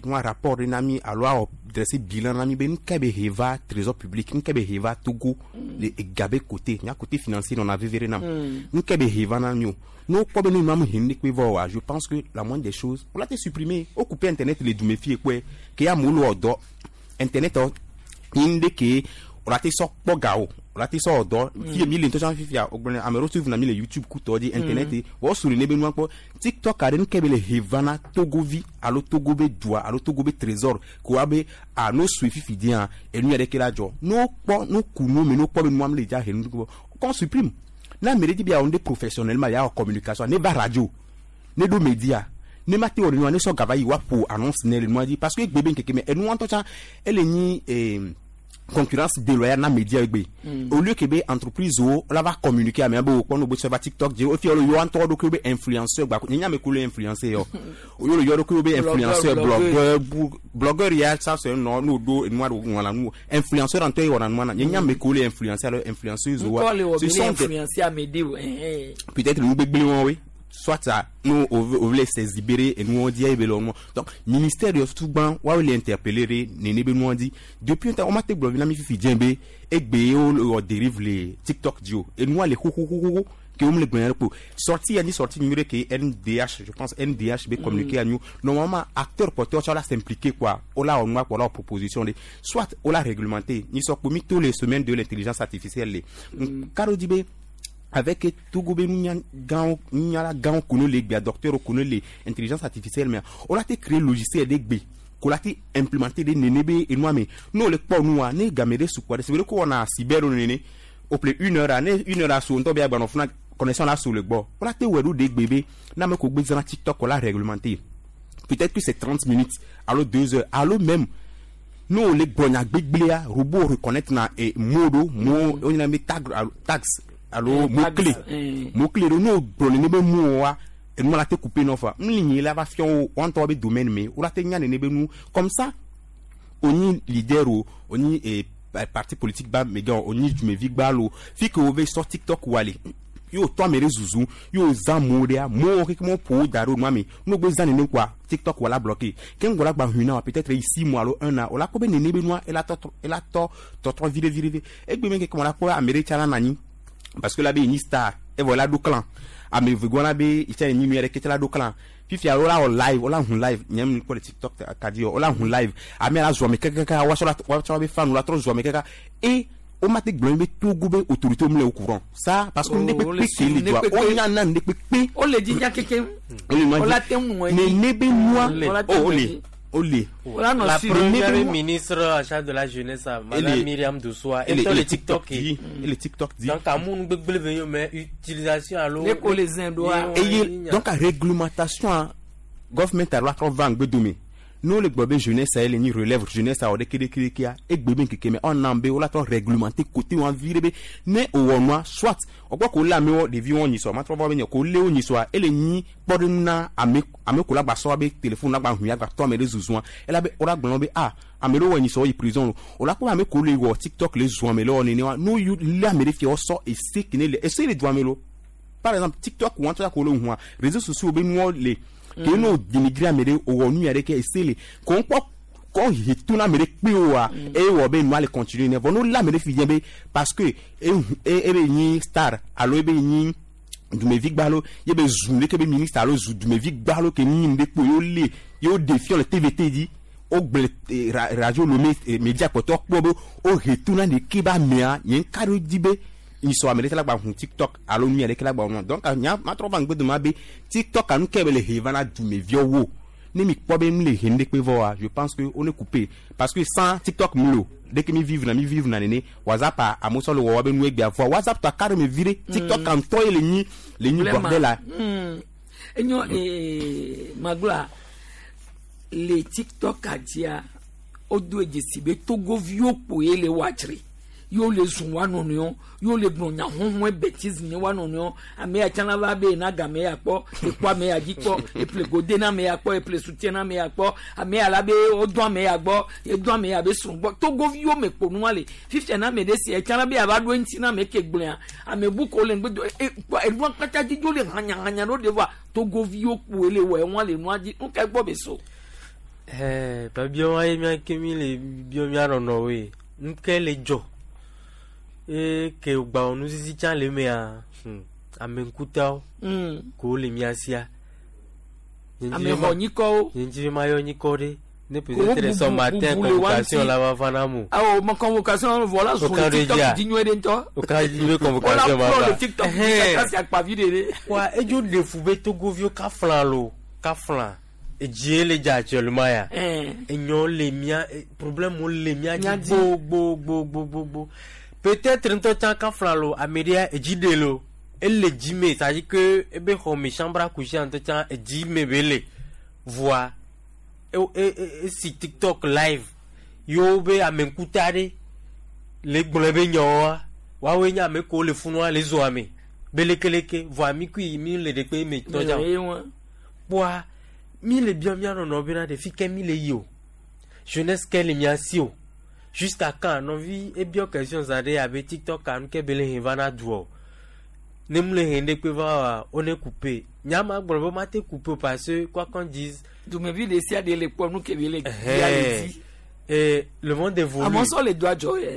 nua rapport ɖe na mi alo awɔ dressé bilan na mi be nuka be he va trésor public nuka be he va Togo le ega be côté nya côté financier nɔna veve ɖe nam nuka be he va na mi o n'o kpɔ be ne nua me he nu ɖekpe vɔ oa, je pense que la moindre des choses o la te supprimer o couper internet le dume fie kpɔe ke amewo le wɔ dɔ internet ɔ yi nu ɖe ke o la te sɔ kpɔ ga o o la te sɔ wɔ dɔ fie mi le ŋutɔ tsã fifia o gblɔ ame ɖewo tún vuna mi le YouTube kutɔ dzi internet wɔ sori ne be nua kpɔ TikTok aɖe nu ke be le he va na Togovi alo Togo be dua alo Togo be trésor ko wa be a n'o sue fifi dia enu ya ɖeke la dzɔ n'o kpɔ n'o ku nu me n'o kpɔ be nua me le dza he nu kpɔ qu'on supprime na ame ɖe di be yeawɔ nu ɖe professionnellement yeawɔ communication ne va radio ne ɖo média ne ma te wɔ nua ne sɔ gava yi woaƒo annonce ne le nua dzi parce que egbe be ŋkeke me enua ŋutɔ tsã ele nyi concurrence déloyale na média egbe. Au lieu que be entreprise wo la va communiquer ame be wokpɔ no be sɔ va TikTok dzi wofi le yɔ ŋutɔ ɖokui be influenceur gba nye ame ko le influencer yɔ wo le yɔ ɖokui be influenceur Blogueur. Blogueur blogueur ya ça c'est nɔ n'o do enua ɖo wɔna nu influenceur ŋutɔ ye wɔna nua na nye ame ko le influencer alo influenceuse wa ŋkɔ le wɔ ce be ne sont des influencer ame ɖe o ɛhɛn. Peut-être nu gbegblẽ wɔwoe soit ça nous on veut s'exhiber et nous on dit eh ben donc ministère de tout ban wa le interpeller re nene be nous on dit depuis un temps on m'a te gblɔ na mi fifi dze be egbe wo o dérive le TikTok dio et nous le xo xo xo xo ke wo me le gblɔ ko sorti ya ni sorti numéro ke NDH je pense NDH be communiquer à nous normalement acteur porteur ça la s'impliquer quoi on la on quoi la proposition de soit on la réglementer ni sort pour tous les semaines de l'intelligence artificielle le karo di be avec Togo be nunya gãwo nunyala gãwo ko ne le gbea docteur ko ne le intelligence artificielle mea o la te créer logiciel ɖe gbe ko la te implémenter ɖe nene be enua me n'o le kpɔ nua ne game ɖe su kpɔ ɖe sebe ɖe ko wɔna cyber ɖo nene o ple une heure a ne une heure a su ŋutɔ be agbanɔ funa connexion la su le gbɔ o la te wɔe ɖo ɖe gbe be ne ame ko gbe zãna TikTok o la réglementer peut-être que c'est 30 minutes alo 2 heures alo même ne o le gblɔ nya gbegblẽa robot reconnaître na mot ɖo mot wonyina be tag alo tags alo mot Tags, clé mot clé ɖo ne o gblɔ nene be mot wa enua la te couper nɔ fa nu li nyi la va fia wo wɔn ŋutɔ be domaine me wo la te nya nene be nu comme ça onyi leader o onyi parti politique ba megã o onyi dumevi gba lo fi ke wo ve sɔ TikTok wa le yo tɔ ame ɖe zuzu yo zã mo ɖea mo keke mo ƒo wo da ɖo nua me no gbe zã nene kɔa TikTok wa la bloqué ke ŋgɔ la gba hui na wa peut-être yi 6 mois alo un an o la kpɔ be nene be nua ela tɔ ela tɔ tɔtrɔ viɖe viɖe vi egbe me keke mo la kpɔ be ame ɖe tsa la nɔ anyi parce que la be yi nyi star evɔ la ɖo clan ame eve gbɔ la be itsa yi nyi nu ya ɖe kete la ɖo clan fifia wo la wɔ live wo la hun live nye mi kpɔ le TikTok ka di yɔ wo la hun live ame la zɔ ame kɛkɛkɛ wa sɔ la wa sɔ be fan la trɔ zɔ ame kɛkɛ et o ma te gblɔ be Togo be autorité mu le au courant ça parce que Oh, ne wo le kpekpe ke le ne doa kpekpe. o nya na ne kpekpe o le dzi nya keke o le o la te ŋu ŋɔ nene be nua O la te oh o ŋu le o le O la nɔ La suivre. première Nene be nua- ministre en charge de la jeunesse, Madame Myriam Dossoa, et elle le le TikTok. dit et le TikTok dit Donc, amu gbegble ve yo mais utilisation alo. Ne ko le zẽ ɖoa. Eye donc a réglementation a government alo atrɔ va ŋgbe dome n'o le gblɔ be jeunesse a ye le nyi relève jeunesse a wɔ ɖeke ɖeke ɖekea egbe be ŋkeke me ɔna be wola trɔ réglementer côté wɔn vi ɖe be ne o wɔ nua soit ɔgbɔ ko lé amewo ɖeviwo nyisɔ matrɔ va be nye ko lé wo nyisɔa ele nyi kpɔɖeŋu na ame ame ko la gba sɔ be téléphone la gba hui agba tɔ ame ɖe zuzua ela be wola gblɔ be ah ame ɖewo wɔ nyisɔ yi prison lo o la kpɔ be ame ko le wɔ TikTok le zua ame le wɔ nene wa n'o yu lé ame ɖe fia wosɔ ese kene le ese le du ame lo par exemple TikTok wɔn tɔ ko le hua réseaux sociaux be nuwo le ke n'o dénigrer ame ɖe o wɔ nu ya ɖe ke ese le ko ŋkpɔ kɔ he to na ame ɖe kpe oa, eye wɔ be nua le continue ne vɔ no lé ame ɖe fi dze be parce que e e ebe nyi star alo ebe nyi dumevi gbalo ye be zu leke be ministre alo zu dumevi gbalo ke nyi nu ɖe kpo ye wolé ye woɖe fiɔ le TVT dzi wogblẽ radio Lomé media kpɔtɔ kpɔ be wohe to na ɖeke be amea nye ŋka ɖo dzi be nyisɔ ame ɖeke la gba hu TikTok alo nu ya ɖeke la gba hu donc nya matrɔ va ŋgbe dome be TikTok anu ke be le he va na dumeviawo wo ne mi kpɔ be nu le he nu ɖe kpe vɔ je pense que on est coupé parce que sans TikTok mu le o dès que mi vivre na mi vivre na nene WhatsApp a amewo sɔ le wɔwɔ be nu egbea vɔa WhatsApp tɔ aka ɖe me vi ɖe TikTok ŋutɔ ye le nyi le nyi bordel la. Enyo magblɔa le TikTok dzia wodo dzesi be togoviwo kpoe le woadzre yewo le zun wa nɔnɔewo yewo le gblɔ nya huhue bêtise ne wa nɔnɔewo ame ya tsana va be na game ya kpɔ ekpɔ ame ya dzi kpɔ eple gode na ame ya kpɔ eple soutien na ame ya kpɔ ame ya la be wodɔ ame ya gbɔ edɔ ame ya be srɔ̃ gbɔ togoviwo me kpo nua le fifia na ame ɖe si etsana be yava ɖo eŋuti na ame ke gblɔa ame bu ko le ŋgbe do enua kpata dzi dzo le hanyahanya ɖo ɖe vɔa togoviwo kpoe le wɔ enua le nua dzi nu ka gbɔ be so. Ɛɛ biabia wa ye mía ke mi le biɔ mía nɔnɔwoe nu ke le dzɔ eye ke gbawɔ nuzizi tsã le emea ame ŋkutawo ko le mía sia. Ame xɔ nyikɔwo. Nye ŋuti be mayɔ nyikɔ ɖe ne peut-être ce matin convocation la va va na mo. Awo ma convocation vɔ la zun le TikTok dzi nyuie ɖe ŋutɔ. O ka dzi be convocation ma va. Wala kplɔ le TikTok dzi kaka si akpavi ɖe ɖe. Wa edzo ɖe fu be togoviwo kafla lo kafla edzie le dza actuellement ya. Enyɔ le mía problème le mía dzi gbogbogbogbogbogbo peut-être ŋutɔ tsã kafla lo ame ɖea edzi ɖe lo ele dzi me c'est à dire que ebe xɔ me chambre à coucher ŋutɔ tsã edzi me be le voa esi TikTok live yewo be ame ŋkuta ɖe le gblɔ be nyawoa woawoe nye ame kewo le funua le zɔa me be lekeleke voa mi kui mi le ɖekpe me tɔ dza kpoa mi le bia mía nɔnɔ bena ɖe fi ke mi le yi o jeunesse ke le mía si o jusqu'à quand nɔvi ebiɔ question za ɖe abe TikTok nu ke be le he va na du o ne mu le he ɖe kpe va wa wo ne couper nyama gblɔ be ma te couper parce que quoi qu'on dise. Dumevi ɖe sia ɖe le kpɔ nu ke be le bia le dzi. Le monde évolue. Amɔsɔ le do adzɔ yɛ.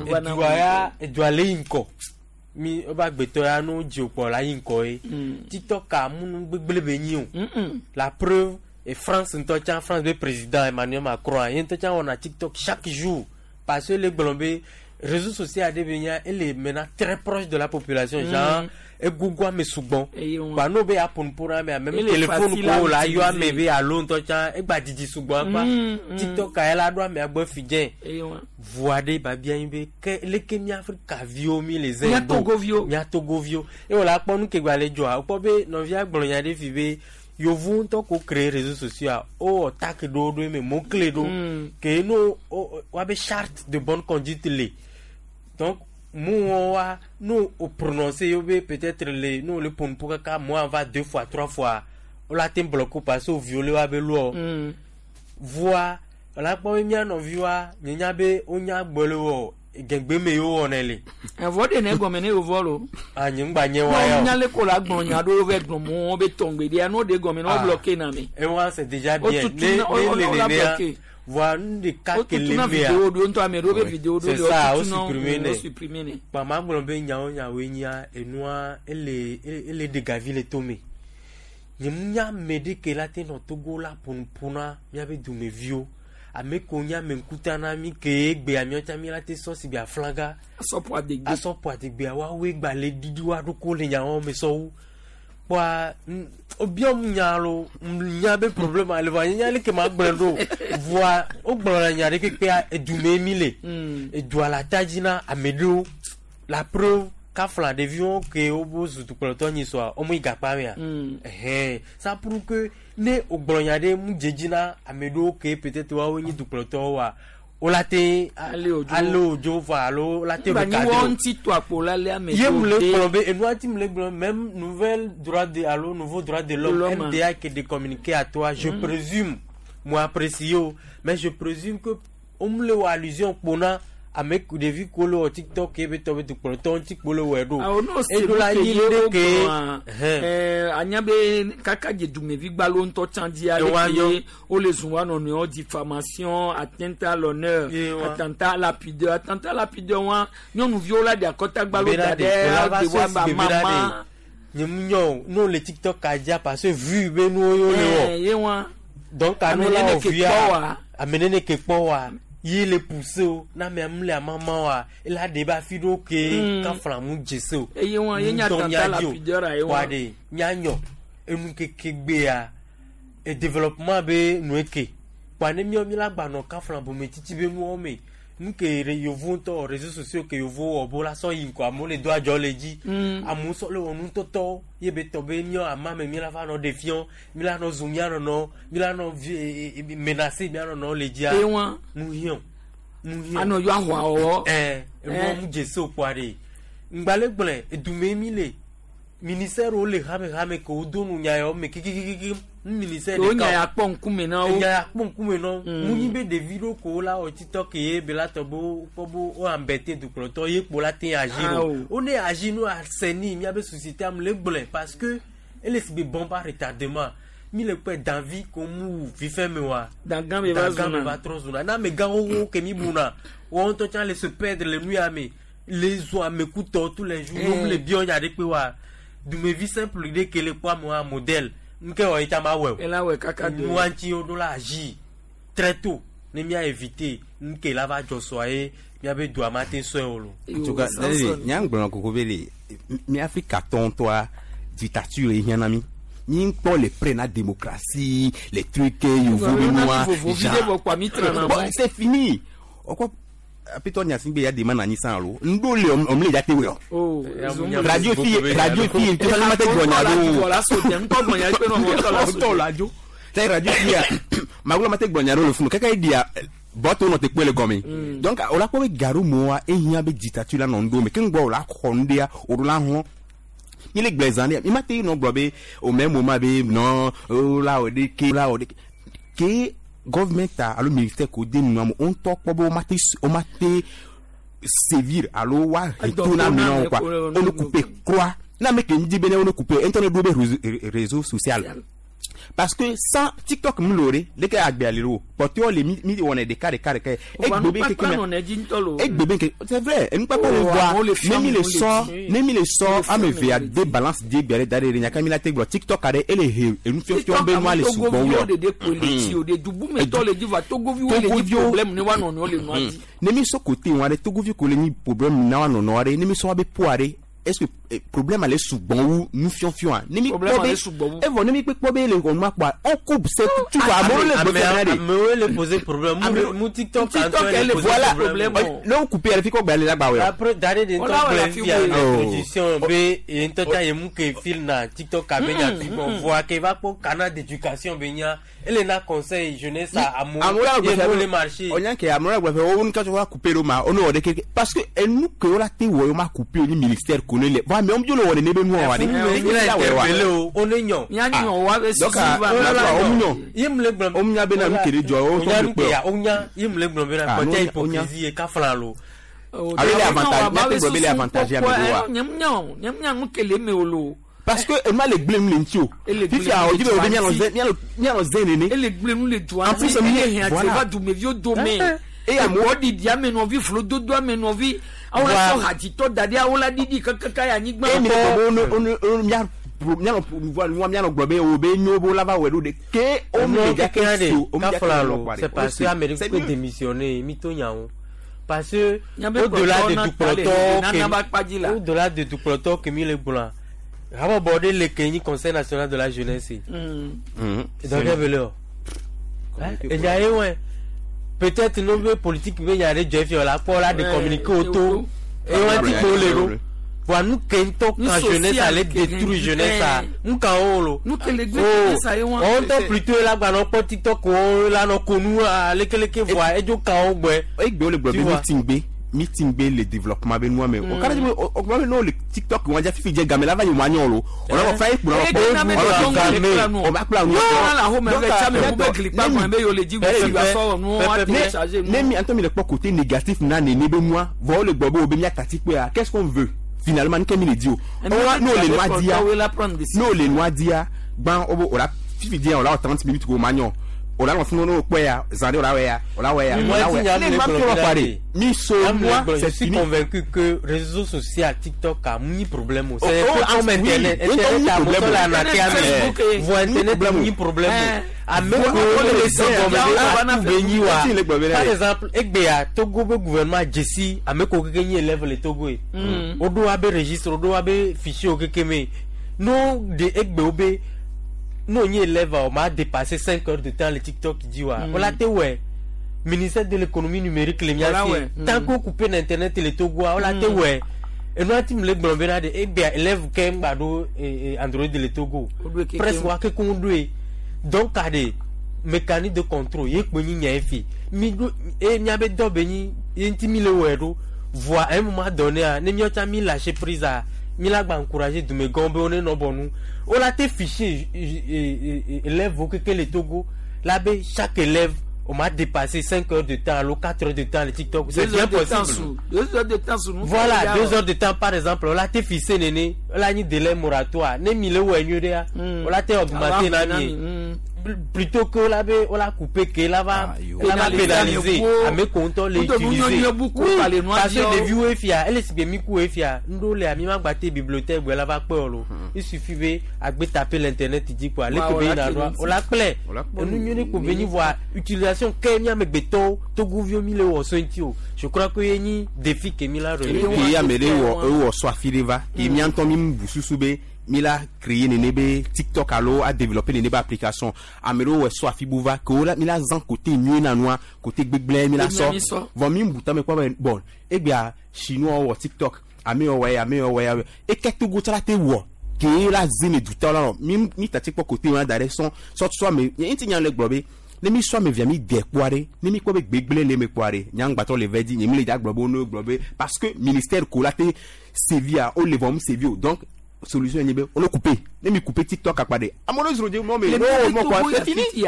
Edua ya edua le yi ŋkɔ mi wobe agbetɔ ya no dzi kpɔ la yi ŋkɔ ye. TikTok a munu gbegble be nyi o. La preuve et France ŋutɔ tsã France be président Emmanuel Macron ye ŋutɔ tsã wɔna TikTok chaque jour parce que le gblɔ be réseau social aɖe be nya ele maintenant très proche de la population genre egogo ame sugbɔn wa n'o be aƒo nuƒo na amea même téléphone ko la yɔ ame be alo ŋutɔ tsã egba didi sugbɔn akpa TikTok ya la ɖo amea gbɔ fi dze voa ɖe babia nyi be ke leke mi Afrika viwo mi le zɛ mia Togoviwo mia Togoviwo eye wòle akpɔ nu ke gba le dzɔa wokpɔ be nɔvia gblɔ nya ɖe fi be yovu ŋutɔ ko créer réseaux sociaux a wowɔ tak ɖewo ɖo eme mot clé ɖo ke no woabe charte de bonne conduite le donc mu wa no o prononcer yo be peut-être le no le ƒo kaka moi va deux fois trois fois o la te bloquer parce que o violer wa be loi voa wòle akpɔ be mía nɔviwoa nye nya be wonya gbɔ le wɔ gɛgbɛ me yewo wɔnɛ le. Ɛvɔ de ne gɔmɛ ne yovɔ lo. A nye ŋgba nye wa ya o. Nya le ko la gblɔ nya ɖewo vɛ gblɔ mo be tɔngbe ɖia n'o de gɔmɛ n'o bloqué na mi. Ewa c'est déjà bien ne ne le nenea voa nu ɖeka ke le mea. Vidéo ɖo ŋutɔ ame ɖewo be vidéo ɖo c'est ça o supprimer ne o supprimer ne. Kpa gblɔ be nyawo nyawoe nyia enua ele ele ɖe gavi le tome nye mu nya ame ɖe ke la te nɔ Togo la ƒonuƒo na míabe dumeviwo ame ko nye ame ŋkuta na mi ke egbea míawo tsã mi la te sɔ si be aflaga asɔƒo adegbe asɔƒo adegbea woawoe gba le ɖiɖi wa ɖoko le nyawo me sɔwu kpoa wobiam nya lo nya be problème ale vɔa nye nya leke ma gblɔe ɖo voa wogblɔna nya ɖe kpekpea edume mi le edua le ata dzi na ame ɖewo la preuve kafla ɖeviwo ke wobo zu dukplɔtɔ nyi sɔa womu yi gakpa mea ɛhɛn ça prouve que ne wogblɔ nya ɖe mu dze dzi na ame ɖewo ke peut-être woawo nyi dukplɔtɔwo wa wola te ale odzo vɔ alo wola te recadrer o ŋuti to akpo la le ame ye mu le gblɔ be enua ti mu le gblɔ même nouvelle droit de alo nouveau droit de l'homme MDA qui de communiquer à toi je présume moi apprécie o mais je présume que wo mu le wɔ allusion kpona Ame ku ɖevi ko le wɔ TikTok ye be tɔ be dukplɔtɔ ŋuti kpo le wɔe ɖo. Awo n'o se Eɖo la nu nyi ke ye ɖe wo ke. gblɔa, Ɛhɛn. anya be kaka dze dumevi gbalo ŋutɔ tsã dzia Ewa leke yɔ. ye wole zun wa nɔnɔewo diffamation, atteinte à l'honneur, Ye wa. attentat à la pudeur, attentat à la pudeur wa nyɔnuviwo la ɖe akɔta gbalo Bena da ɖe, ɖe la va de wa sɔ ba si be bena mama. ɖe. Nye mu nyɔ o, ne wole TikTok ka dzia parce que vu be nuwo ye wole wɔ. Ye wa. Donc Ame anu la nene wɔ ke via. kpɔ wa. Ame nene ke kpɔ wa. Ye le pousse o, na amea mu le amama wa, ela ɖe be afi ɖewo ke kafla mu dze se o. Eye wa, ye nye Ŋutɔ attentat à la mía dzi o. pudeur a ye wa. Wa ɖe míanyɔ enu keke gbea e développement be nu eke kpa ne míawo míla gbanɔ kafla bometsitsi be nuwo me nu ke re yevu ŋutɔ réseaux sociaux ke yevu wɔ bo la sɔ yi ŋkɔ amewo le do adzɔ le dzi amewo sɔ le wɔ nutɔtɔwo ye be tɔ be míawo ama me míla va nɔ ɖe fiɔ míla nɔ zu mía nɔnɔ míla nɔ vi menacer mía nɔnɔ le dzia Eye wa. nu hiã nu hiã Anɔ yɔ ahua wɔwɔ. ɛɛ enuwo mu dze se o kpoa ɖe ŋgbalẽ gblẽ edume mi le ministère wo le hame hame ke wodo nu nya yawo me kikikiki nu ministère Wo ɖeka nya o. ya kpɔ ŋkume na wo. Enya ya kpɔ ŋkume na wo. Mu nyi be ɖevi ɖewo ko la wɔ TikTok ye be la tɔ be wokpɔ be wo embêter dukplɔtɔ ye kpo la te agir Ah, o. o. Wo ne agir no assainir miabe société am le gblɔe parce que ele si be bombe à retardement. Mi le kpɔe danvi ko mu wu fifɛ me wa. Dangã be va Dangã be zuna. va trɔ zuna. Na amegã xoxo ke mi buna wɔn ŋutɔ tsã le se perdre le nu ya me le zu amekutɔ tous les jours. Wo le biɔ nya ɖe kpe wa. Dumevi simple ɖe ke le kpɔ amewoa modèle nke wɔ ye tsã ma wɔe o. Ela wɔe kaka do. Nua ŋuti woɖo la agir très tôt ne mía éviter nu ke la va dzɔ sɔa ye míabe dua ma te sɔe o lo. En tout cas, Daniel, nya ŋgblɔ koko be le mi Afrika tɔ ŋutɔa dictature ye hiã na mi. Mi ŋkpɔ le prêt na démocratie, les trucs yovo be nua. Vovovi ɖe vɔ kpoa mi trana Bon, mɔ. c'est fini. Ɔkɔ apetɔ nyasi gbe ya dema na anyi san alo. Ŋɖo le ɔmle dza te wɔ. Oh, Radio fi radio fi tí wọ́n ti gbọ̀nyà do. La so jẹ ŋkɔ gbɔnya ekpe nɔ ŋutɔ la so. Ŋutɔ la dzo. Sɛ radio fi ya magolo ma te gbɔnya do le funu kɛkɛ yi dia bɔtɔ nɔ te kpɔe le gɔme. Donc o la kpɔ be garo mɔa ehiã be dictature la nɔ ŋɖo me ke ŋgbɔ o la xɔ ŋɖea o ɖo la hlɔ̃. Mi le gblẽ zã ɖe mi ma te nɔ gblɔ be au même moment be non o la wɔ ɖe ke o la wɔ ɖe ke government ta alo ministère ko de nua mo o ŋutɔ kpɔ be o ma te o ma te sévir alo wa retourner Adɔ ame na wo to quoi na ame o ne couper croix na ame ke ŋdi be ne o ne couper ŋutɔ ne ɖo be réseau social parce que sans TikTok mu lo ɖe leke agbea le ɖo kpɔtɔewo le mi mi wɔnɛ ɖeka ɖeka ɖeka ye egbe be keke Nukpakpa me nɔ dzi ŋutɔ lo. egbe be ke c'est vrai enukpakpa le Oh, amewo le voa fiam ne mi le wo le sɔ dzi. ne mi le sɔ Wole fiam ame evea wo le de balance di egbe ɖe da ɖe ɖe nyaka mi la te gblɔ TikTok aɖe ele he enufiɔfiɔ be nua le sugbɔ Togoviwo wɔ ɖeɖe koe le dzi o ɖe dubumetɔ le dzi va togoviwo le dzi Togoviwo- problème ne wa nɔnɔewo le nua dzi. ne mi sɔ côté wa ɖe togovi ko le nyi problème na wa nɔnɔ ɖe ne mi sɔ wa be poa ɖe est-ce que problème ale sugbɔ wu nufiɔfiɔa ne mi Problème kpɔ be ale sugbɔ wu. evɔ ne mi kpɔ be le xɔnua kpɔa on coupe c'est tu vois amewo le gbe fia ɖe Amewo le poser problème. Mu TikTok TikTok le ele poser voilà problème. ne wo couper yɛrɛ fi kɔ gba le la gba wɛ Après dare de Wala ŋutɔ wala gblẽ fi fia wo. introduction be ye ŋutɔ tsa ye mu ke fil na TikTok abe nya fi bɔn voa ke va kpɔ canal d'éducation be nya ele na conseil jeunesse a amewo amewo la ye gbe mo le fia marché. o nya ke amewo la gbe fia wo nu ka couper ɖo ma o ne wɔ ɖe keke parce que enu ke wo la te wɔ ye wo ma couper o ni ministère ko ne le bon amewo dzo le wɔ nene be nua wa ɖe Mi la interpellé o o ne nyɔ. Mía nyɔ wa be donc susu va. la la o mu nyɔ Ye mu le gblɔ. o mu nya bena nu ke ɖe dzɔ o O nya tɔ nu le ke kpɔ ya o nya ye mu le gblɔ bena Ah, kpɔtɛ no, o nya. hypocrisie ye kafla lo. Alo le avantage mía te gblɔ be le avantage ame ɖewoa Nye mu nya nu ke le eme o lo. parce que ema le gblẽ nu le ŋuti o Ele gblẽ fifia nu o le dzi be o be dua mianɔ ŋuti. zɛ mianɔ mianɔ zɛ nene Ele gblẽ nu le dua En plus, ŋuti. mi- Ele hiã voilà. dze va dumeviwo dome. Eye amewo- Amewo ɖiɖi ame nɔvi vlododo ame nɔvi. Awo la Wa- sɔ hadzitɔ da ɖi awo la ɖiɖi kakaka ya anyigba. eye mi le gblɔ be wo ne wo ne wo ne mia mianɔ nua mianɔ gblɔ be o be nyo be wo la va wɔe ɖo de ke o mi le dza ke so o mi dza ke kafla so lo kpɔa ɖe. c'est parce que O ame ɖe c'est kpe mieux. démissionner mi to nya wo parce que Nyabe au-delà kplɔtɔ de na ta le dukplɔtɔ nana ba kpa dzi la. ke au-delà de dukplɔtɔ ke mi le gblɔa habɔbɔ ɖe le ke nyi conseil national de la jeunesse donc ebele o enya ye wɛ peut-être no be politique be nya ɖe dzɔ efiɔ la kpɔ la de Ouais, communiquer o to eye wɔn ti kpo le ɖo voa nu ke ŋutɔ Nu kan jeunesse social ale ke détruit hɛn- jeunesse a nu kan wo lo. Nu ke le gblẽ Oh, jeunesse a ye wa. wɔn ŋutɔ plutôt la gbanɔ kpɔ TikTok wo la nɔ konu alekeleke voa edzo kan wo gbɔe. Egbe wo le gblɔ Tu be vois. meeting gbe meeting be le développement be nua me o kara be o o be no le TikTok wa ja fifi je game la va yi ma nyo lo o la fa yi kpura o ba kpla nu ne mi anto mi le kpɔ côté négatif na nene be nua vɔ le gbɔ be o be mia tati kpe qu'est-ce qu'on veut finalement nke mi le di o n'o le nua dia n'o le nua dia gban o bo o la fifi dia o la 30 minutes ko ma nyo o la fún no pé ya zande o la we ya o la we ya o la we ya ne ma tó pare mi so moi c'est je suis convaincu que réseaux sociaux TikTok a ni problème c'est comme internet internet a moto la na ke voit internet ni problème a même par exemple egbea Togo be gouvernement Jesse a me ko keke ni élève le Togo e o do abe registre o do abe fichier o keke me no de egbe o be non, on élève, on m'a dépassé 5 heures de temps le TikTok qui dit ouais. On l'a ouais. Ministère de l'économie numérique les miens tant qu'on coupe l'internet et le Togo, on l'a ouais. Et nous avons le blambena de eh bien élève quand bado Android le Togo. Presque wa que qu'on doit. Donc à des mécanismes de contrôle, yé que ni nya fi. Mi do et mi abe do beni, intimi le ouais do voit à un moment donné à ne mi ota mi lâcher prise à mi la gba encourager de me gombe on est non bon nous. On a été fiché élève que le Togo là ben chaque élève on m'a dépassé 5 heures de temps alors 4 heures de temps le TikTok c'est bien possible 2 heures de temps sous nous voilà 2 heures de temps par exemple on a été fiché néné on a ni délai moratoire né mille ou on a été augmenté nani plutôt que là on l'a coupé que là va pénaliser à mes comptes les utiliser parce que les vieux fia elle est bien mis coup fia ndo le ami ma gbaté bibliothèque là va peur il suffit be à taper l'internet dit quoi le que na droit on la plaît nous nous ko venir voir utilisation Kenya me beto Togo vieux mille ou sentio je crois que y défi que mi la relevé ya mele wo so afireva e mi anton mi bususu be mi la créé nene be TikTok alo a développé nene be application amero we so afibuva ko la mi la zan côté mieux na noa côté gbegble mi la so von mi mbuta me kwa bon e bia chinois wo TikTok ame o we e ke Togo tala te wo ke la zine du temps là mi mi tati po côté wa dare son so so me nti nyan le gbobe ne mi so me via mi de poare ne mi ko be gbegble le me poare nyang bato le vedi ni mi le ja gbobo no gbobe parce que ministère ko la te Sevilla o le vom Sevilla donc solution ni on le coupé ne mi coupé TikTok akpade amono zro de mo me no mo quoi c'est fini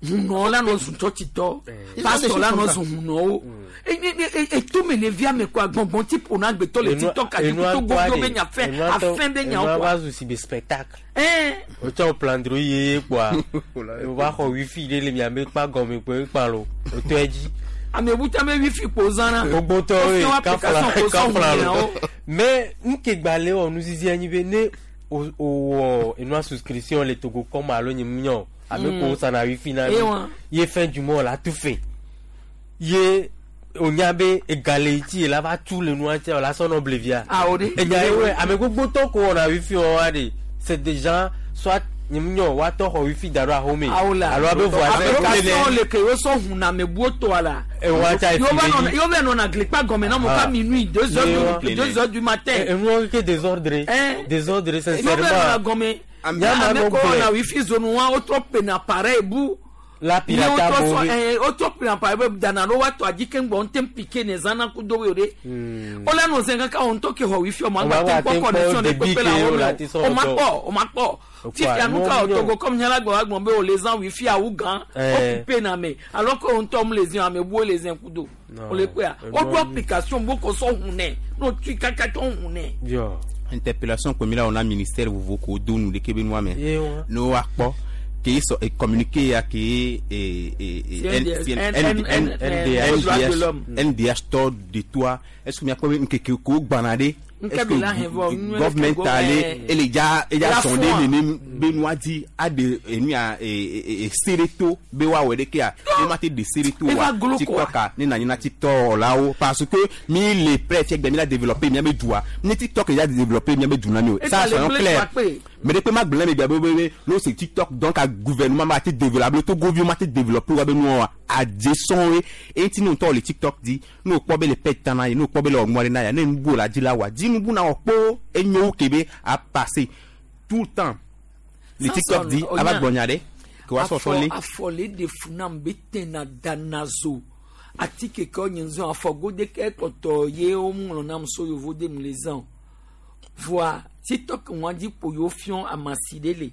huno la no zun tito pastor la no zun huno e tout me ne via me quoi bon type on a gbeto le TikTok a tout go be nya fait afin de nya quoi va aussi be spectacle hein o ta plan droye quoi o va xɔ wifi de le mi ame pa gome pe pa lo o to eji ame buta me wifi pozana gbogbo to e ka fla mais nke gbale o nu zizi anyi be ne o enu souscription le Togo comme alo nyi mnyo ame ko ça na wifi na ye fin du mois là tout fait ye onyabe égalité là va tout le noir là son oblivia ah ode e nya we ame gbogbo to ko na wifi o wa de c'est des gens soit nyimnyo wa to ho wifi daro ahome alors abe voisin le ke so hun na me bu to ala e wa ta yo va non na clique pas comme non mon pas minuit 2h du matin et nous que désordre désordre sincèrement yo va na gomme ame ko na wifi zone wa o trop na pareil bu la pirata o trop na pareil dana lo wa to adi ke ngbon tem piqué ne zana ku do we ore o la no zenga ka on to ke ho wifi o ma gba tem connexion de pepe la o ma po o ma po si fianuka o Togo comme nyala gbo agbon be o les en wifi a ugan o coupé na me alors que on tombe les uns ame bo les uns kudo o le pe o do application bo ko so hunne no tu kaka to hunne yo interpellation comme là on a ministère vous ko do nous de kebe no me no akpo qui so communiqué à qui NDH to de toi est-ce que mi akpo nke ko gbanade est-ce que government allé et les gars sondé nene Benoît dit a de enu a sereto be wa we de ke a e ma te de sereto wa TikTok ni na ni na TikTok là haut parce que mi les prêts fier mi la développer mi me doua ni TikTok ya développer mi me douna mi ça soyons clair mais depuis ma blâme bien bébé non c'est TikTok donc à gouvernement m'a été développé to gouvernement m'a été développé wa be nous a descend et ti nous to le TikTok dit nous ko be le pet tana nous ko be le ngore na ya ne nbu la di la wa di nbu na opo enyo kebe a passer tout le temps le TikTok dit ava gbonyade ko wa so so le afole de funam betena danazo Atike ke wo nye zã afɔgode ke kpɔtɔ ye wo ŋlɔ nam so yevo de mu le zã o. Voa TikTok ŋua dzi kpo yewo fiɔ amasi ɖe le.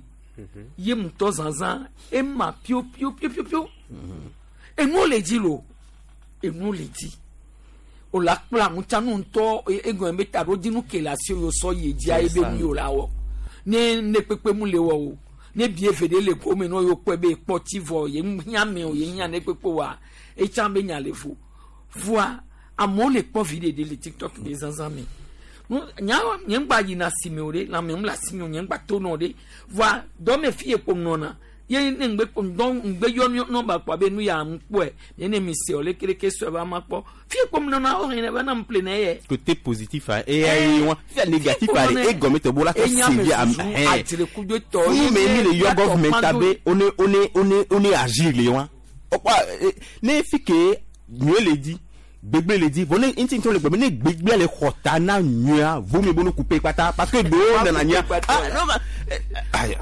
Ye ŋutɔ zazã ema pio pio pio pio pio. Enuwo le dzi lo. Enuwo le dzi. O la kpla ŋutsanu ŋutɔ egɔme be taɖodzinu ke le asi wo sɔ yi dzia ebe nu yi o la wɔ. Ne ne kpekpe mu le wɔ o. Ne bie ve ɖe le gome ne yewo kpɔe be kpɔ tsi vɔ ye hiã me o ye hiã ne kpekpe wa etsã be nya le vo. Voa amewo le kpɔ vi ɖeɖe le TikTok be zazã me. Nu nya nye ŋgba yina asime o ɖe lãme ŋu le asime o nye ŋgba to nɔ ɖe. Voa dɔme fi ye kpo nɔna ye ne ŋgbe kpo ŋdɔ ŋgbe yɔ nɔba kpɔ abe nu ya ŋkpɔe ye ne mi se o lekeleke sɔe ba ma kpɔ fi ye kpo nɔna wo hɛn ba na ŋple ne ye. Côté positif hein, et ayi wa fi négatif ale e gɔme tɔ bola ka sevi am hein. Adzre kudo tɔ Fún mi mi le yɔ government abe one one one one agir le wa. Okpa ne fi ke nyuie le di gbegbe le di vɔ ne ŋuti ŋutɔ le gbɔ ne gbegbe le xɔ ta na nyuia vo mi bo no couper kpata parce que ɖewo nana nyia. Ah non ma.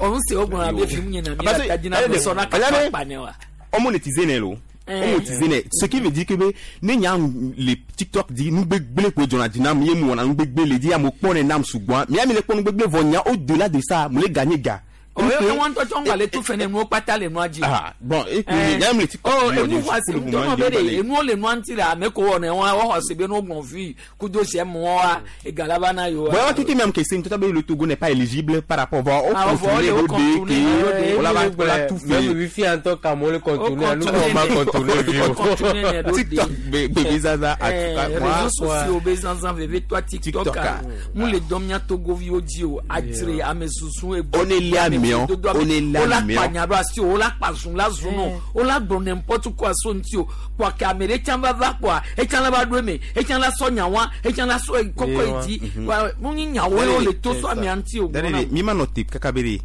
Ɔnu se wo gblɔna be fi mu nye na mi la ta dina be sɔna kaka kpa ne wa. On monétiser ne lo. On monétiser ne. Ce qui veut dire que be ne nya le TikTok di nu gbegbe ko jɔna di nam ye mu wɔna nu gbegbe le di amewo kpɔ ne nam sugbɔa. Mia mi le kpɔ nu gbegbe vɔ nya au delà de ça mu le gagner ga. Oye wọn tɔ tsɔ ŋgba le tu fɛnɛ nuwo kpata le nua dzi. Ah bon et puis nya mi le TikTok. Ɔ enu xɔ asi ŋutɔ be de enuwo le nua ŋuti le ame ko wɔ ne wɔn xɔ asi be ne wogbɔn vi kudo sɛ mɔ wa egala va na yewo. Bon, tout même que c'est tout le Togo n'est pas éligible par rapport au Ah, contourner au au contourner, DK, on l'a on l'a tout Même fait. wifi en tant qu'amour le contourner, nous on va contourner vieux. TikTok, bébé Zaza, en tout cas, moi, réseaux sociaux be zanzan veve toa TikTok TikTok, a mu le dɔn mia togoviwo dzi o adzre ame susu egbo On est là, mais on est là, o la mais kpa nya ɖo asi o o la kpa zun la zun nɔ o la gblɔ n'importe quoi so ŋuti o kpoa ke ame ɖe tsã va va kpoa etsã la va ɖo eme etsã la sɔ nyawa etsã la sɔ kɔkɔ yi dzi kpoa mu nyi nyawo ye wo le to so amea ŋuti o Dare gblɔna. mi ma nɔ te kaka be de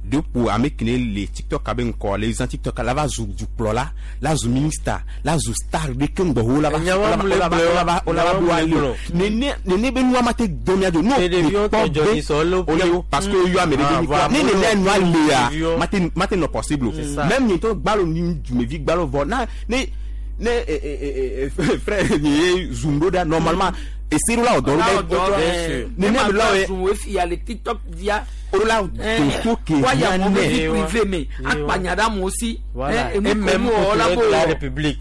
de po ame kene le TikTok abe ŋkɔ le zã TikTok la va zu dukplɔla la zu ministre la zu star ɖe ke ŋgbɔ wo la va Nyawa la mu le va gblɔ, la va la va nyawa do mu le ali o gblɔ. nene nene be nua ma te dɔn mia do n'o Te ɖeviwo kpɔ tɔ dzɔ be nyi sɔ le o le o parce que yɔ ame ɖe Ah, be voilà, ne nene nua lea ɖeviwo. ma te ma te nɔ possible o C'est ça. même nye ŋutɔ gbalo ni dumevi gbalo vɔ na ne ne frère nye ye zoom ɖo ɖa normalement ese ɖo la wɔ dɔ La ɖo wɔ dɔ ɖe ɖe. nene Ne be la ma wɔ zun wo fi ya le TikTok dzia. o la toto ke waya hiã mo be nɛ. vie privé me akpa nya ɖe amewo si. Voilà. Eh, enu Et ko même mu wɔ la procureur bo de la wɔ. République.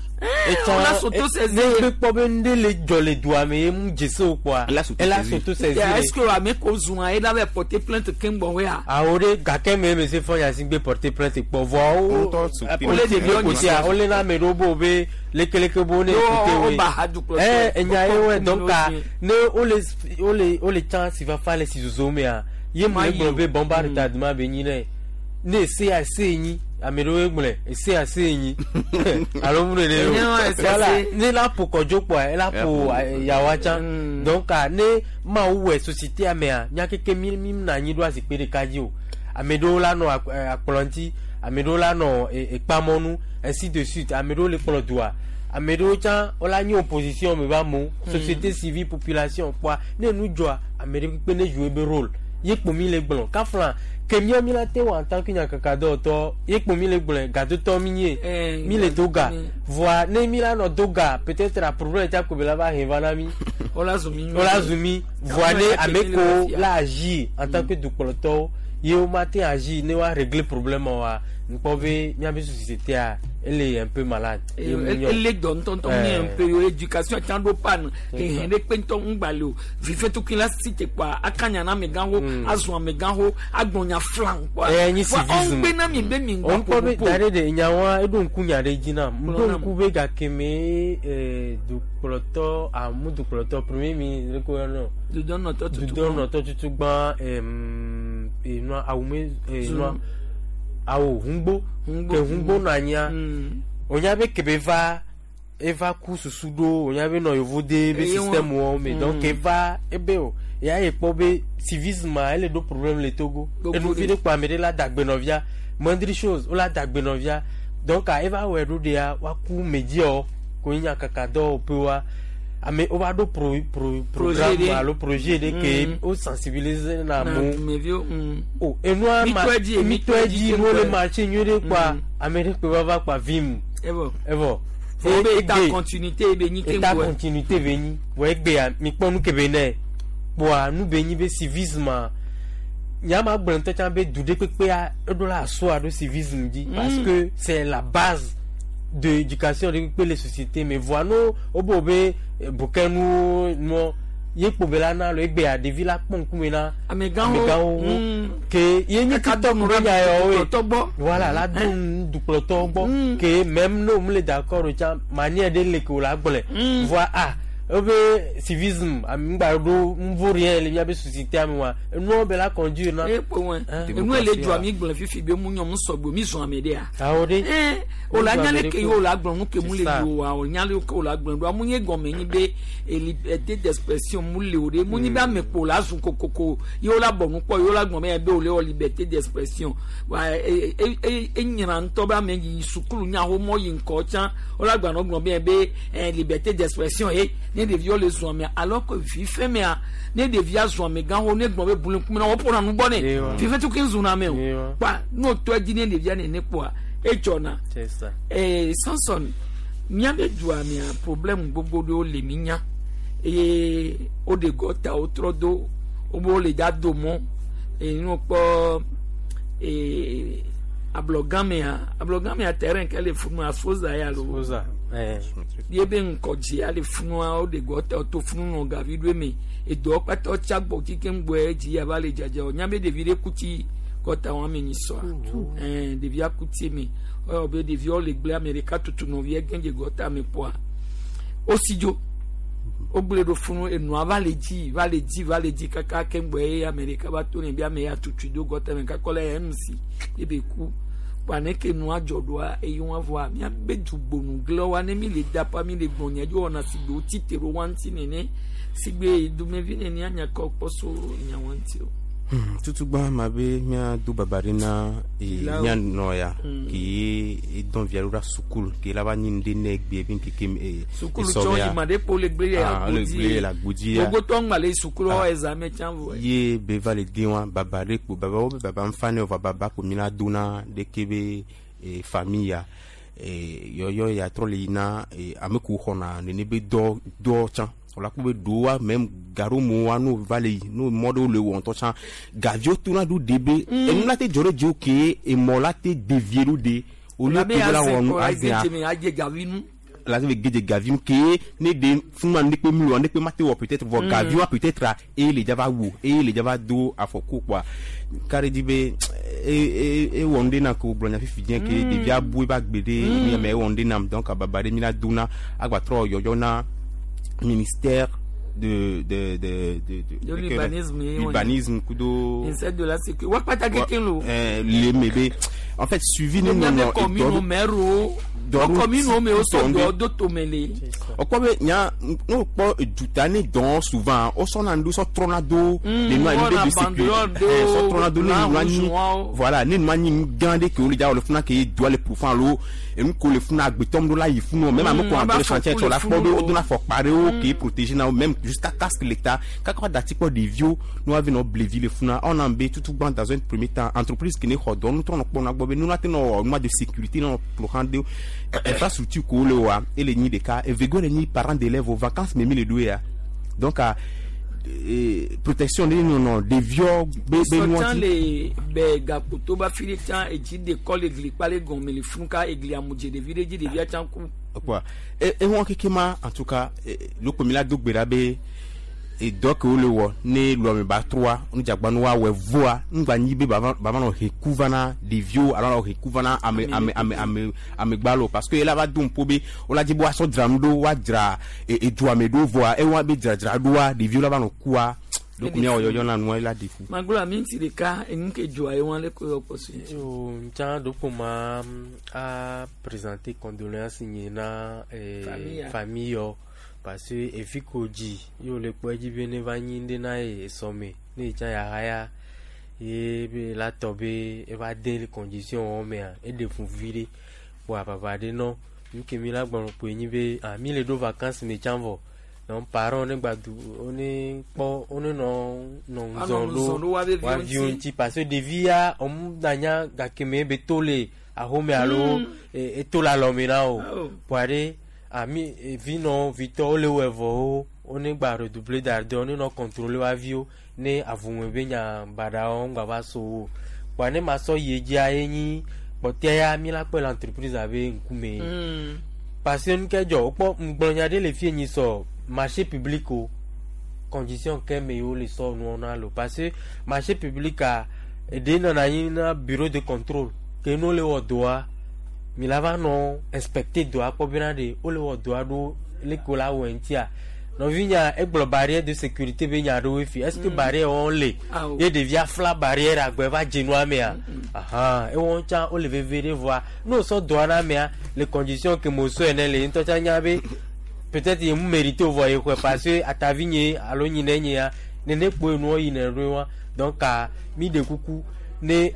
on l'a s'auto-saisi. Ne be kpɔ be ŋɖe le dzɔ le dua me ye mu dze se o kpoa. Elle a s'auto-saisi. Elle a s'auto-saisi. Est-ce que ame ko zun ye la bɛ porter plainte keŋ wea? Awo ɖe gake me monsieur Faure Gnassingbé porter plainte kpɔ vɔ wo. Ŋutɔ su- Wole ɖeviwo nyi kotea wole na ame ɖewo bo be lekeleke bo ne Yo, écouter wo woe. ba ha dukplɔtɔ. Eh, enya ye wɔe Wo donc kɔ a nu ne wole wole wole tsã si fafa le si zozo mea ye mu Ma le yi gblɔ o. be bomba retardement be nyi nɛ ne ese ya ese nyi ame ɖewo gblɔe ese ya ese nyi alo mu nene Ne o wa ese voilà ese. ne la ƒo kɔdzo kpoa ela ƒo yawa tsã donc a ne mawu wɔ société mea nya keke mi mi na anyi ɖo azikpui ɖeka dzi o ame ɖewo la nɔ akplɔ ŋuti ame ɖewo la nɔ ekpamɔnu ainsi de suite ame ɖewo le kplɔ dua ame ɖewo tsã wola nye opposition me va amewo société civile population kpoa ne nu dzɔa ame ɖe kpekpe ne jouer be rôle ye kpo mi le gblɔ kafla ke mía mi la te wɔ en tant que nyakakadɔwɔtɔ ye kpo mi le gblɔe gadotɔ mi nye Eh, mi le do ga mi- voa ne mi la nɔ do ga peut-être a problème tsa ko be la va he va na mi Wola zu mi nyuie. wola zu mi voa ne Ame ame ke mi le ko fia. la agir en tant que dukplɔtɔwo ye wo ma te agir ne wa régler problème wa nkpɔ be míabe société a ele un peu malade. Ye mu nyɔ. ele dɔ ŋutɔŋutɔ mu Eh. un peu yo éducation tsã ɖo pan hehe ɖe kpe ŋutɔ ŋgba le o vifetukui la si te kpoa akanya na amegãwo azɔ amegãwo agblɔ nya flan kpoa Eh, nyi Voa, civisme. ɔŋgbe na mi be mi ŋgba ŋkpɔ be ƒo da ɖe ɖe nyawoa eɖo ŋku nya ɖe dzi nam Gblɔ ɖo nam. ŋku be gakeme dukplɔtɔ amu dukplɔtɔ premier ministre ko yɔnɔ dudɔnɔtɔ tutu dudɔnɔtɔ tutu gbã enua awume enua awo hungbo Hungbo. ke hungbo nɔ anyia wonya be kebe va eva ku susu ɖo wonya be nɔ yevu de be Eye système wɔwo me donc eva ebe o ya ye kpɔ be civisme ele ɖo problème le Togo Gbogbo enuvi ɖe. ɖe kpɔ ame ɖe la dagbe nɔvia moindre chose wola dagbe nɔvia donc a eva wɔe ɖo ɖea woaku mediawo ko nye nyakaka dɔwɔƒewoa ame wova ɖo pro pro Projet programme ɖe. alo projet ɖe ke wo sensibiliser na Na amewo dumeviwo, o enua ma Mitɔe dzi, mitɔe dzi mitɔe nuwo le dzi, marché nyuie ɖe kpoa ame ɖe kpe va va kpa vim Evɔ. evɔ Fo be état continuité be nyi état keŋ continuité be nyi vɔ egbea mikpɔ nu ke be nɛ kpoa nu be nyi be civisme nyama gblɔ ŋutɔ tsã be du ɖe kpekpea eɖo la asɔa ɖo civisme dzi parce que c'est la base de éducation ɖe kpekpe le société me. Voa no wobe be bukɛnuwo nuɔ ye kpo be la na lo egbea ɖevi la kpɔ ŋkume na Amegãwo. Ke ye nye Kaka titɔ do nu be nya yawo ye dukplɔtɔ gbɔ. Voilà, la do nu dukplɔtɔwo gbɔ ke même ne wòm le d'accord o tsã manière ɖe le ke wò la gblɔe. Voa ah ebe civisme ame ŋgba ɖo nuvo rien le miabe société me wa enuwo be la conduire na. E kpo wɔn enu ele dzɔa mi gblɔ fifi be mu nyɔ mu sɔgbe mi zɔn ame ɖea. Awo ɖe. O la Mu zɔn nya ame le ɖe ke ko. o la gblɔ nu ke mu le C'est ça. yi o wa o nya le ke o la gblɔ do amu nye gɔme nyi be liberté d'expression mu le o de mu nyi be ame kpo la zun kokoko ye o la bɔ nu kpɔ ye o la gblɔ be be o le wɔ liberté d'expression wa e e e e nyina ŋutɔ be ame yi sukulu nya wo mɔ yi ŋkɔ tsã o la gblɔ gblɔ be liberté d'expression ye ne ɖeviwo le zɔn mea, alors que fife mea ne ɖevia zɔn ame gãwo ne gblɔ be bulu ŋkume na wo ƒona nu gbɔ nɛ fife tukui zuna ame o kpa n'o tɔ dzi ne ɖevia nene kpoa edzɔna. C'est ça. Samson, míabe dua mea problème gbogbo ɖewo le mi nya eye woɖe gɔta wotrɔ do wobe wole dza do mɔ eye nu kpɔ ablɔgãmea terrain ke le funu afoza ya lo Foza. Ye be ŋkɔdzia le funua woɖe gɔta to funu nɔ gavi ɖo eme edɔ kpata tsa gbɔ kike ŋgbɔ edzi ya va le dzadza o nya be ɖevi ɖe kuti gɔta wɔn ame nyi sɔa ɖevia kuti me ɔyɔ be ɖeviawo le gble ame ɖeka tutu nɔvia gɛdze gɔta me kpɔa wosi dzo wogblẽ ɖo funu enua va le dzi va le dzi va le dzi kaka ke ŋgbɔ ye ame ɖeka va to ne be ame ya tutui do gɔta me kakɔ la ya mc ebe ku kpa ne ke nua dzɔ ɖoa eye wɔn vɔa miabe dugbonu glɔ wa ne mi le dapa mi le gbɔn nyɛ dzo wɔna sigbe wotsi te ɖo wa ŋuti nene sigbe dumevi nene anya kɔ kpɔ so nya wa ŋuti o. Tutugba ma be míado baba ɖe na Lawo. mía nɔ ya ke ye edɔn via ɖo ɖa sukulu ke la va nyi nu ɖe ne egbe be ŋkeke Sukulu tsɔ yi ma ɖe kpo le gble Ah, le gble le agbodzi ya. Gbogbo ŋgba le sukulu wɔ examen tsã vɔ. Ye be va le de wa baba ɖe kpo baba wo be baba ŋfa ne o va baba kpo mi la do na ɖeke be famille ya yɔyɔ ya trɔ le yina ame kewo xɔna nene be dɔ dɔ tsã wòla kpɔ be ɖowa même gaɖo wa no va le yi no mɔ ɖewo le wɔ ŋutɔ tsã gaviwo tona ɖo de be enu la te dzɔ ɖe dziwo ke emɔ la te devie ɖo de au lieu Labe ke be la wɔ nu azia azia adze gavi nu. La te gedze gavi nu ke ne de funu ne kpe mlo ne kpe ma te wɔ peut-être vɔ gavi wa peut-être a eye le dza va wo eye le dza va do afɔku kpoa kari dzi be e e e wɔ nu ɖe na ko gblɔ nya fifi dzɛ ke ɖevia bu ebe agbe ɖe mi me ewɔ nu ɖe nam donc ababa ɖe mi la do na agbatrɔ yɔyɔ na ministère de de de de de De l'urbanisme, eh, ouais. Urbanisme kudo Ministère de la sécurité wa kpata keke lo. Le me be en fait suivi ne Miabe nɔnɔ commune maire o. Commune o me o sɔ dɔ do tome le. Ɔkpɔ be nya ne wokpɔ duta ne dɔn souvent wosɔna nu sɔ trɔna do le nua wɔna nu de sécurité banderole do, sɔ trɔna do ne blanc, nua rouge, nyi noir. Voilà, ne nua nyi nu gã ɖe ke wole dza wɔ le funa ke doa le profond alo enu ko le funa agbetɔm ɖo la yi funu même ame ko Aba entre chantier fɔku tsɔ le la kpɔ be funu. wodona afɔkpa ɖewo ke protéger na wo même jusqu'à casque l'état kaka wa dati kpɔ ɖeviwo ne woavi nɔ blevi le funa ɔna be tutugban dans un premier temps entreprise ke ne xɔ dɔ nutɔ nɔ kpɔ na gbɔ be nuna te nɔ wɔ nua de sécurité nɔ ƒo de infrastructure ko le wa ele nyi ɖeka evego le nyi parents d'élèves o vacances me mi le ɖo ya donc a protection ɖe nɔnɔ ɖeviwo be be nua Sɔtsan dzi. Le bɛ gakoto ba fi ɖe tsã edzi de kɔ le gli kpa le gɔme le funu ka egli amudze ɖevi ɖe dzi ɖevia tsã ku. Quoi ehɔn keke ma en tout cas lóko mi la do gbe ɖa be edɔ ke wole wɔ ne lɔme ba trɔa nudzagba nu woawɔe voa ŋgba nyi be bava bava nɔ he ku va na ɖeviwo alo nɔ he ku va na ame ame ame ame amegbalo parce que ela va do ŋpo be wola dzi be woasɔ dzra nu ɖo woadzra edua me ɖo voa ewa be dzradzra ɖoa ɖeviwo la va nɔ kua lóko miawɔ yɔyɔ na nua ela ɖe fu. Maglo ami ŋuti ɖeka enu ke dzoa ye wɔn le ko yɔ kpɔ so ŋuti. Yo, ntsa ɖokpo ma a présenter condoléance nye na Famille ya. Famille yɔ parce que evi ko dzi ye wòle kpɔ edzi be ne va nyi ŋɖe na ye esɔme ne yetsã yahaya ye be la tɔ be eva de le condition wɔn mea eɖe fu vi ɖe kpoa baba ɖe nɔ nu ke mi la gblɔ kpoe nyi be ah mi le ɖo vacance me tsã vɔ donc parents ne gba du wone kpɔ wone nɔ nɔ Anɔ ŋzɔn ŋzɔn ɖo woabe ɖo viwo woaviwo ŋuti. Ŋuti parce que ɖevi ya ɔmu danya gake me be to le axome alo eto le alɔme na o Oh. kpoa ɖe. Ami vinɔ vitɔwo le wɔ vɔ wo ne gba redoubler d'ardeur ne nɔ contrôler wa viwo ne avume be nya baɖawo ŋgba va so wo kpoa ne ma sɔ yi edzia ye nyi kpɔtɛa ya mi la kpɔe le entreprise abe ŋkume. Parce que nu ke dzɔ wokpɔ ŋgblɔ nya ɖe le fie nyi sɔ marché public o condition ke me wo le sɔ nuwo na lo, parce que marché public a eɖe nɔna anyi na bureau de contrôle ke ne wole wɔ dɔa, mi la va nɔ inspecter dɔa kpɔ bena ɖe wole wɔ dɔa ɖo leke wo la wɔe ŋutia. Nɔvinya egblɔ barrière de sécurité be nya ɖewo fi, est ce que barrière wɔn le ye ɖevia fla barrière agbe va dze nua mea? Ahan, ewɔn tsã wole veve ɖe vɔa ne wosɔ dɔa na mea le condition ke me wosɔe ne le ŋutɔ tsã nya be peut-être ye mu mérite o vɔ ye xɔe parce que atavi nye alo nyi ne nyea nene kpoe nuwo yina ɖo wa. Donc mi ɖe kuku ne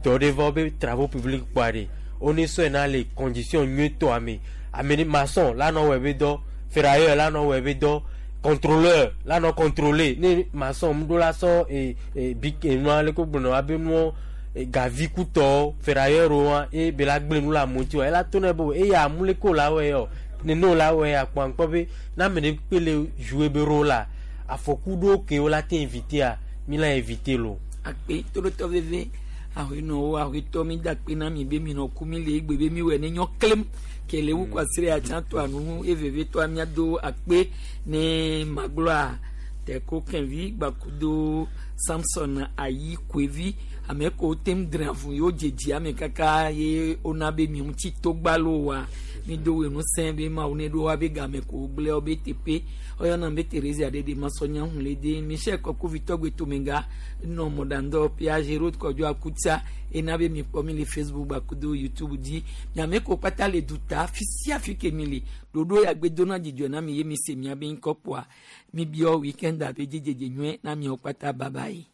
dɔ ɖe va be travaux publics kpɔa ɖe wone sɔe na le condition nyuietɔa me. Ame ne maçon la nɔ wɔe be dɔ, ferrailleur la nɔ wɔe be dɔ, contrôleur la nɔ contrôler. Ne maçon ŋu ɖo la sɔ bic enua leke wogblɔna wa be nuwo gavi kutɔwo ferrailleur wa ye be la gblẽ nu le amewo ŋuti wa ela to ne be eya amu leke wo la wɔe yɔ nene wo la wɔe akpɔ aŋkpɔ be ne ame ɖe kpe le jouer be rôle la afɔku ɖewo ke wo la te éviter mi la éviter lo. Akpe toɖotɔ veve ahoenɔwo ahoetɔ mi da akpe na mi be mi nɔ ku mi le egbe be mi wɔ ne nyɔ klem ke le wu kwasire atsã to anu eveve tɔa miado akpe ne magblɔa teko kɛnvi gbakudo Samson ayi koevi ame ko tem dre avu yewo dzedzi ame kaka ye wona be mi ŋuti togbalo wa mi do wɔ ŋusẽ be mawu ne ɖo wa be game ko gblẽ wo be teƒe ɔyɔna be Thérésia ɖe ɖe masɔnya ŋu le de Michel Kɔkuvi tɔgbe tomega nɔ mɔɖaŋdɔ Piage Road kɔdzo akutsa ena be mi kpɔ mi le Facebook gbakudo YouTube dzi miame ko kpata le duta fi sia fi ke mi le ɖoɖo ya gbe dona dzidzɔ na mi ye mi se mia be ŋkɔ kpoa mi biɔ weekend abe dzidzedze nyuie na miawo kpata. Bye bye.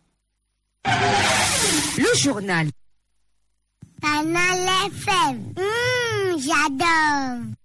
Le journal. Canal FM. J'adore.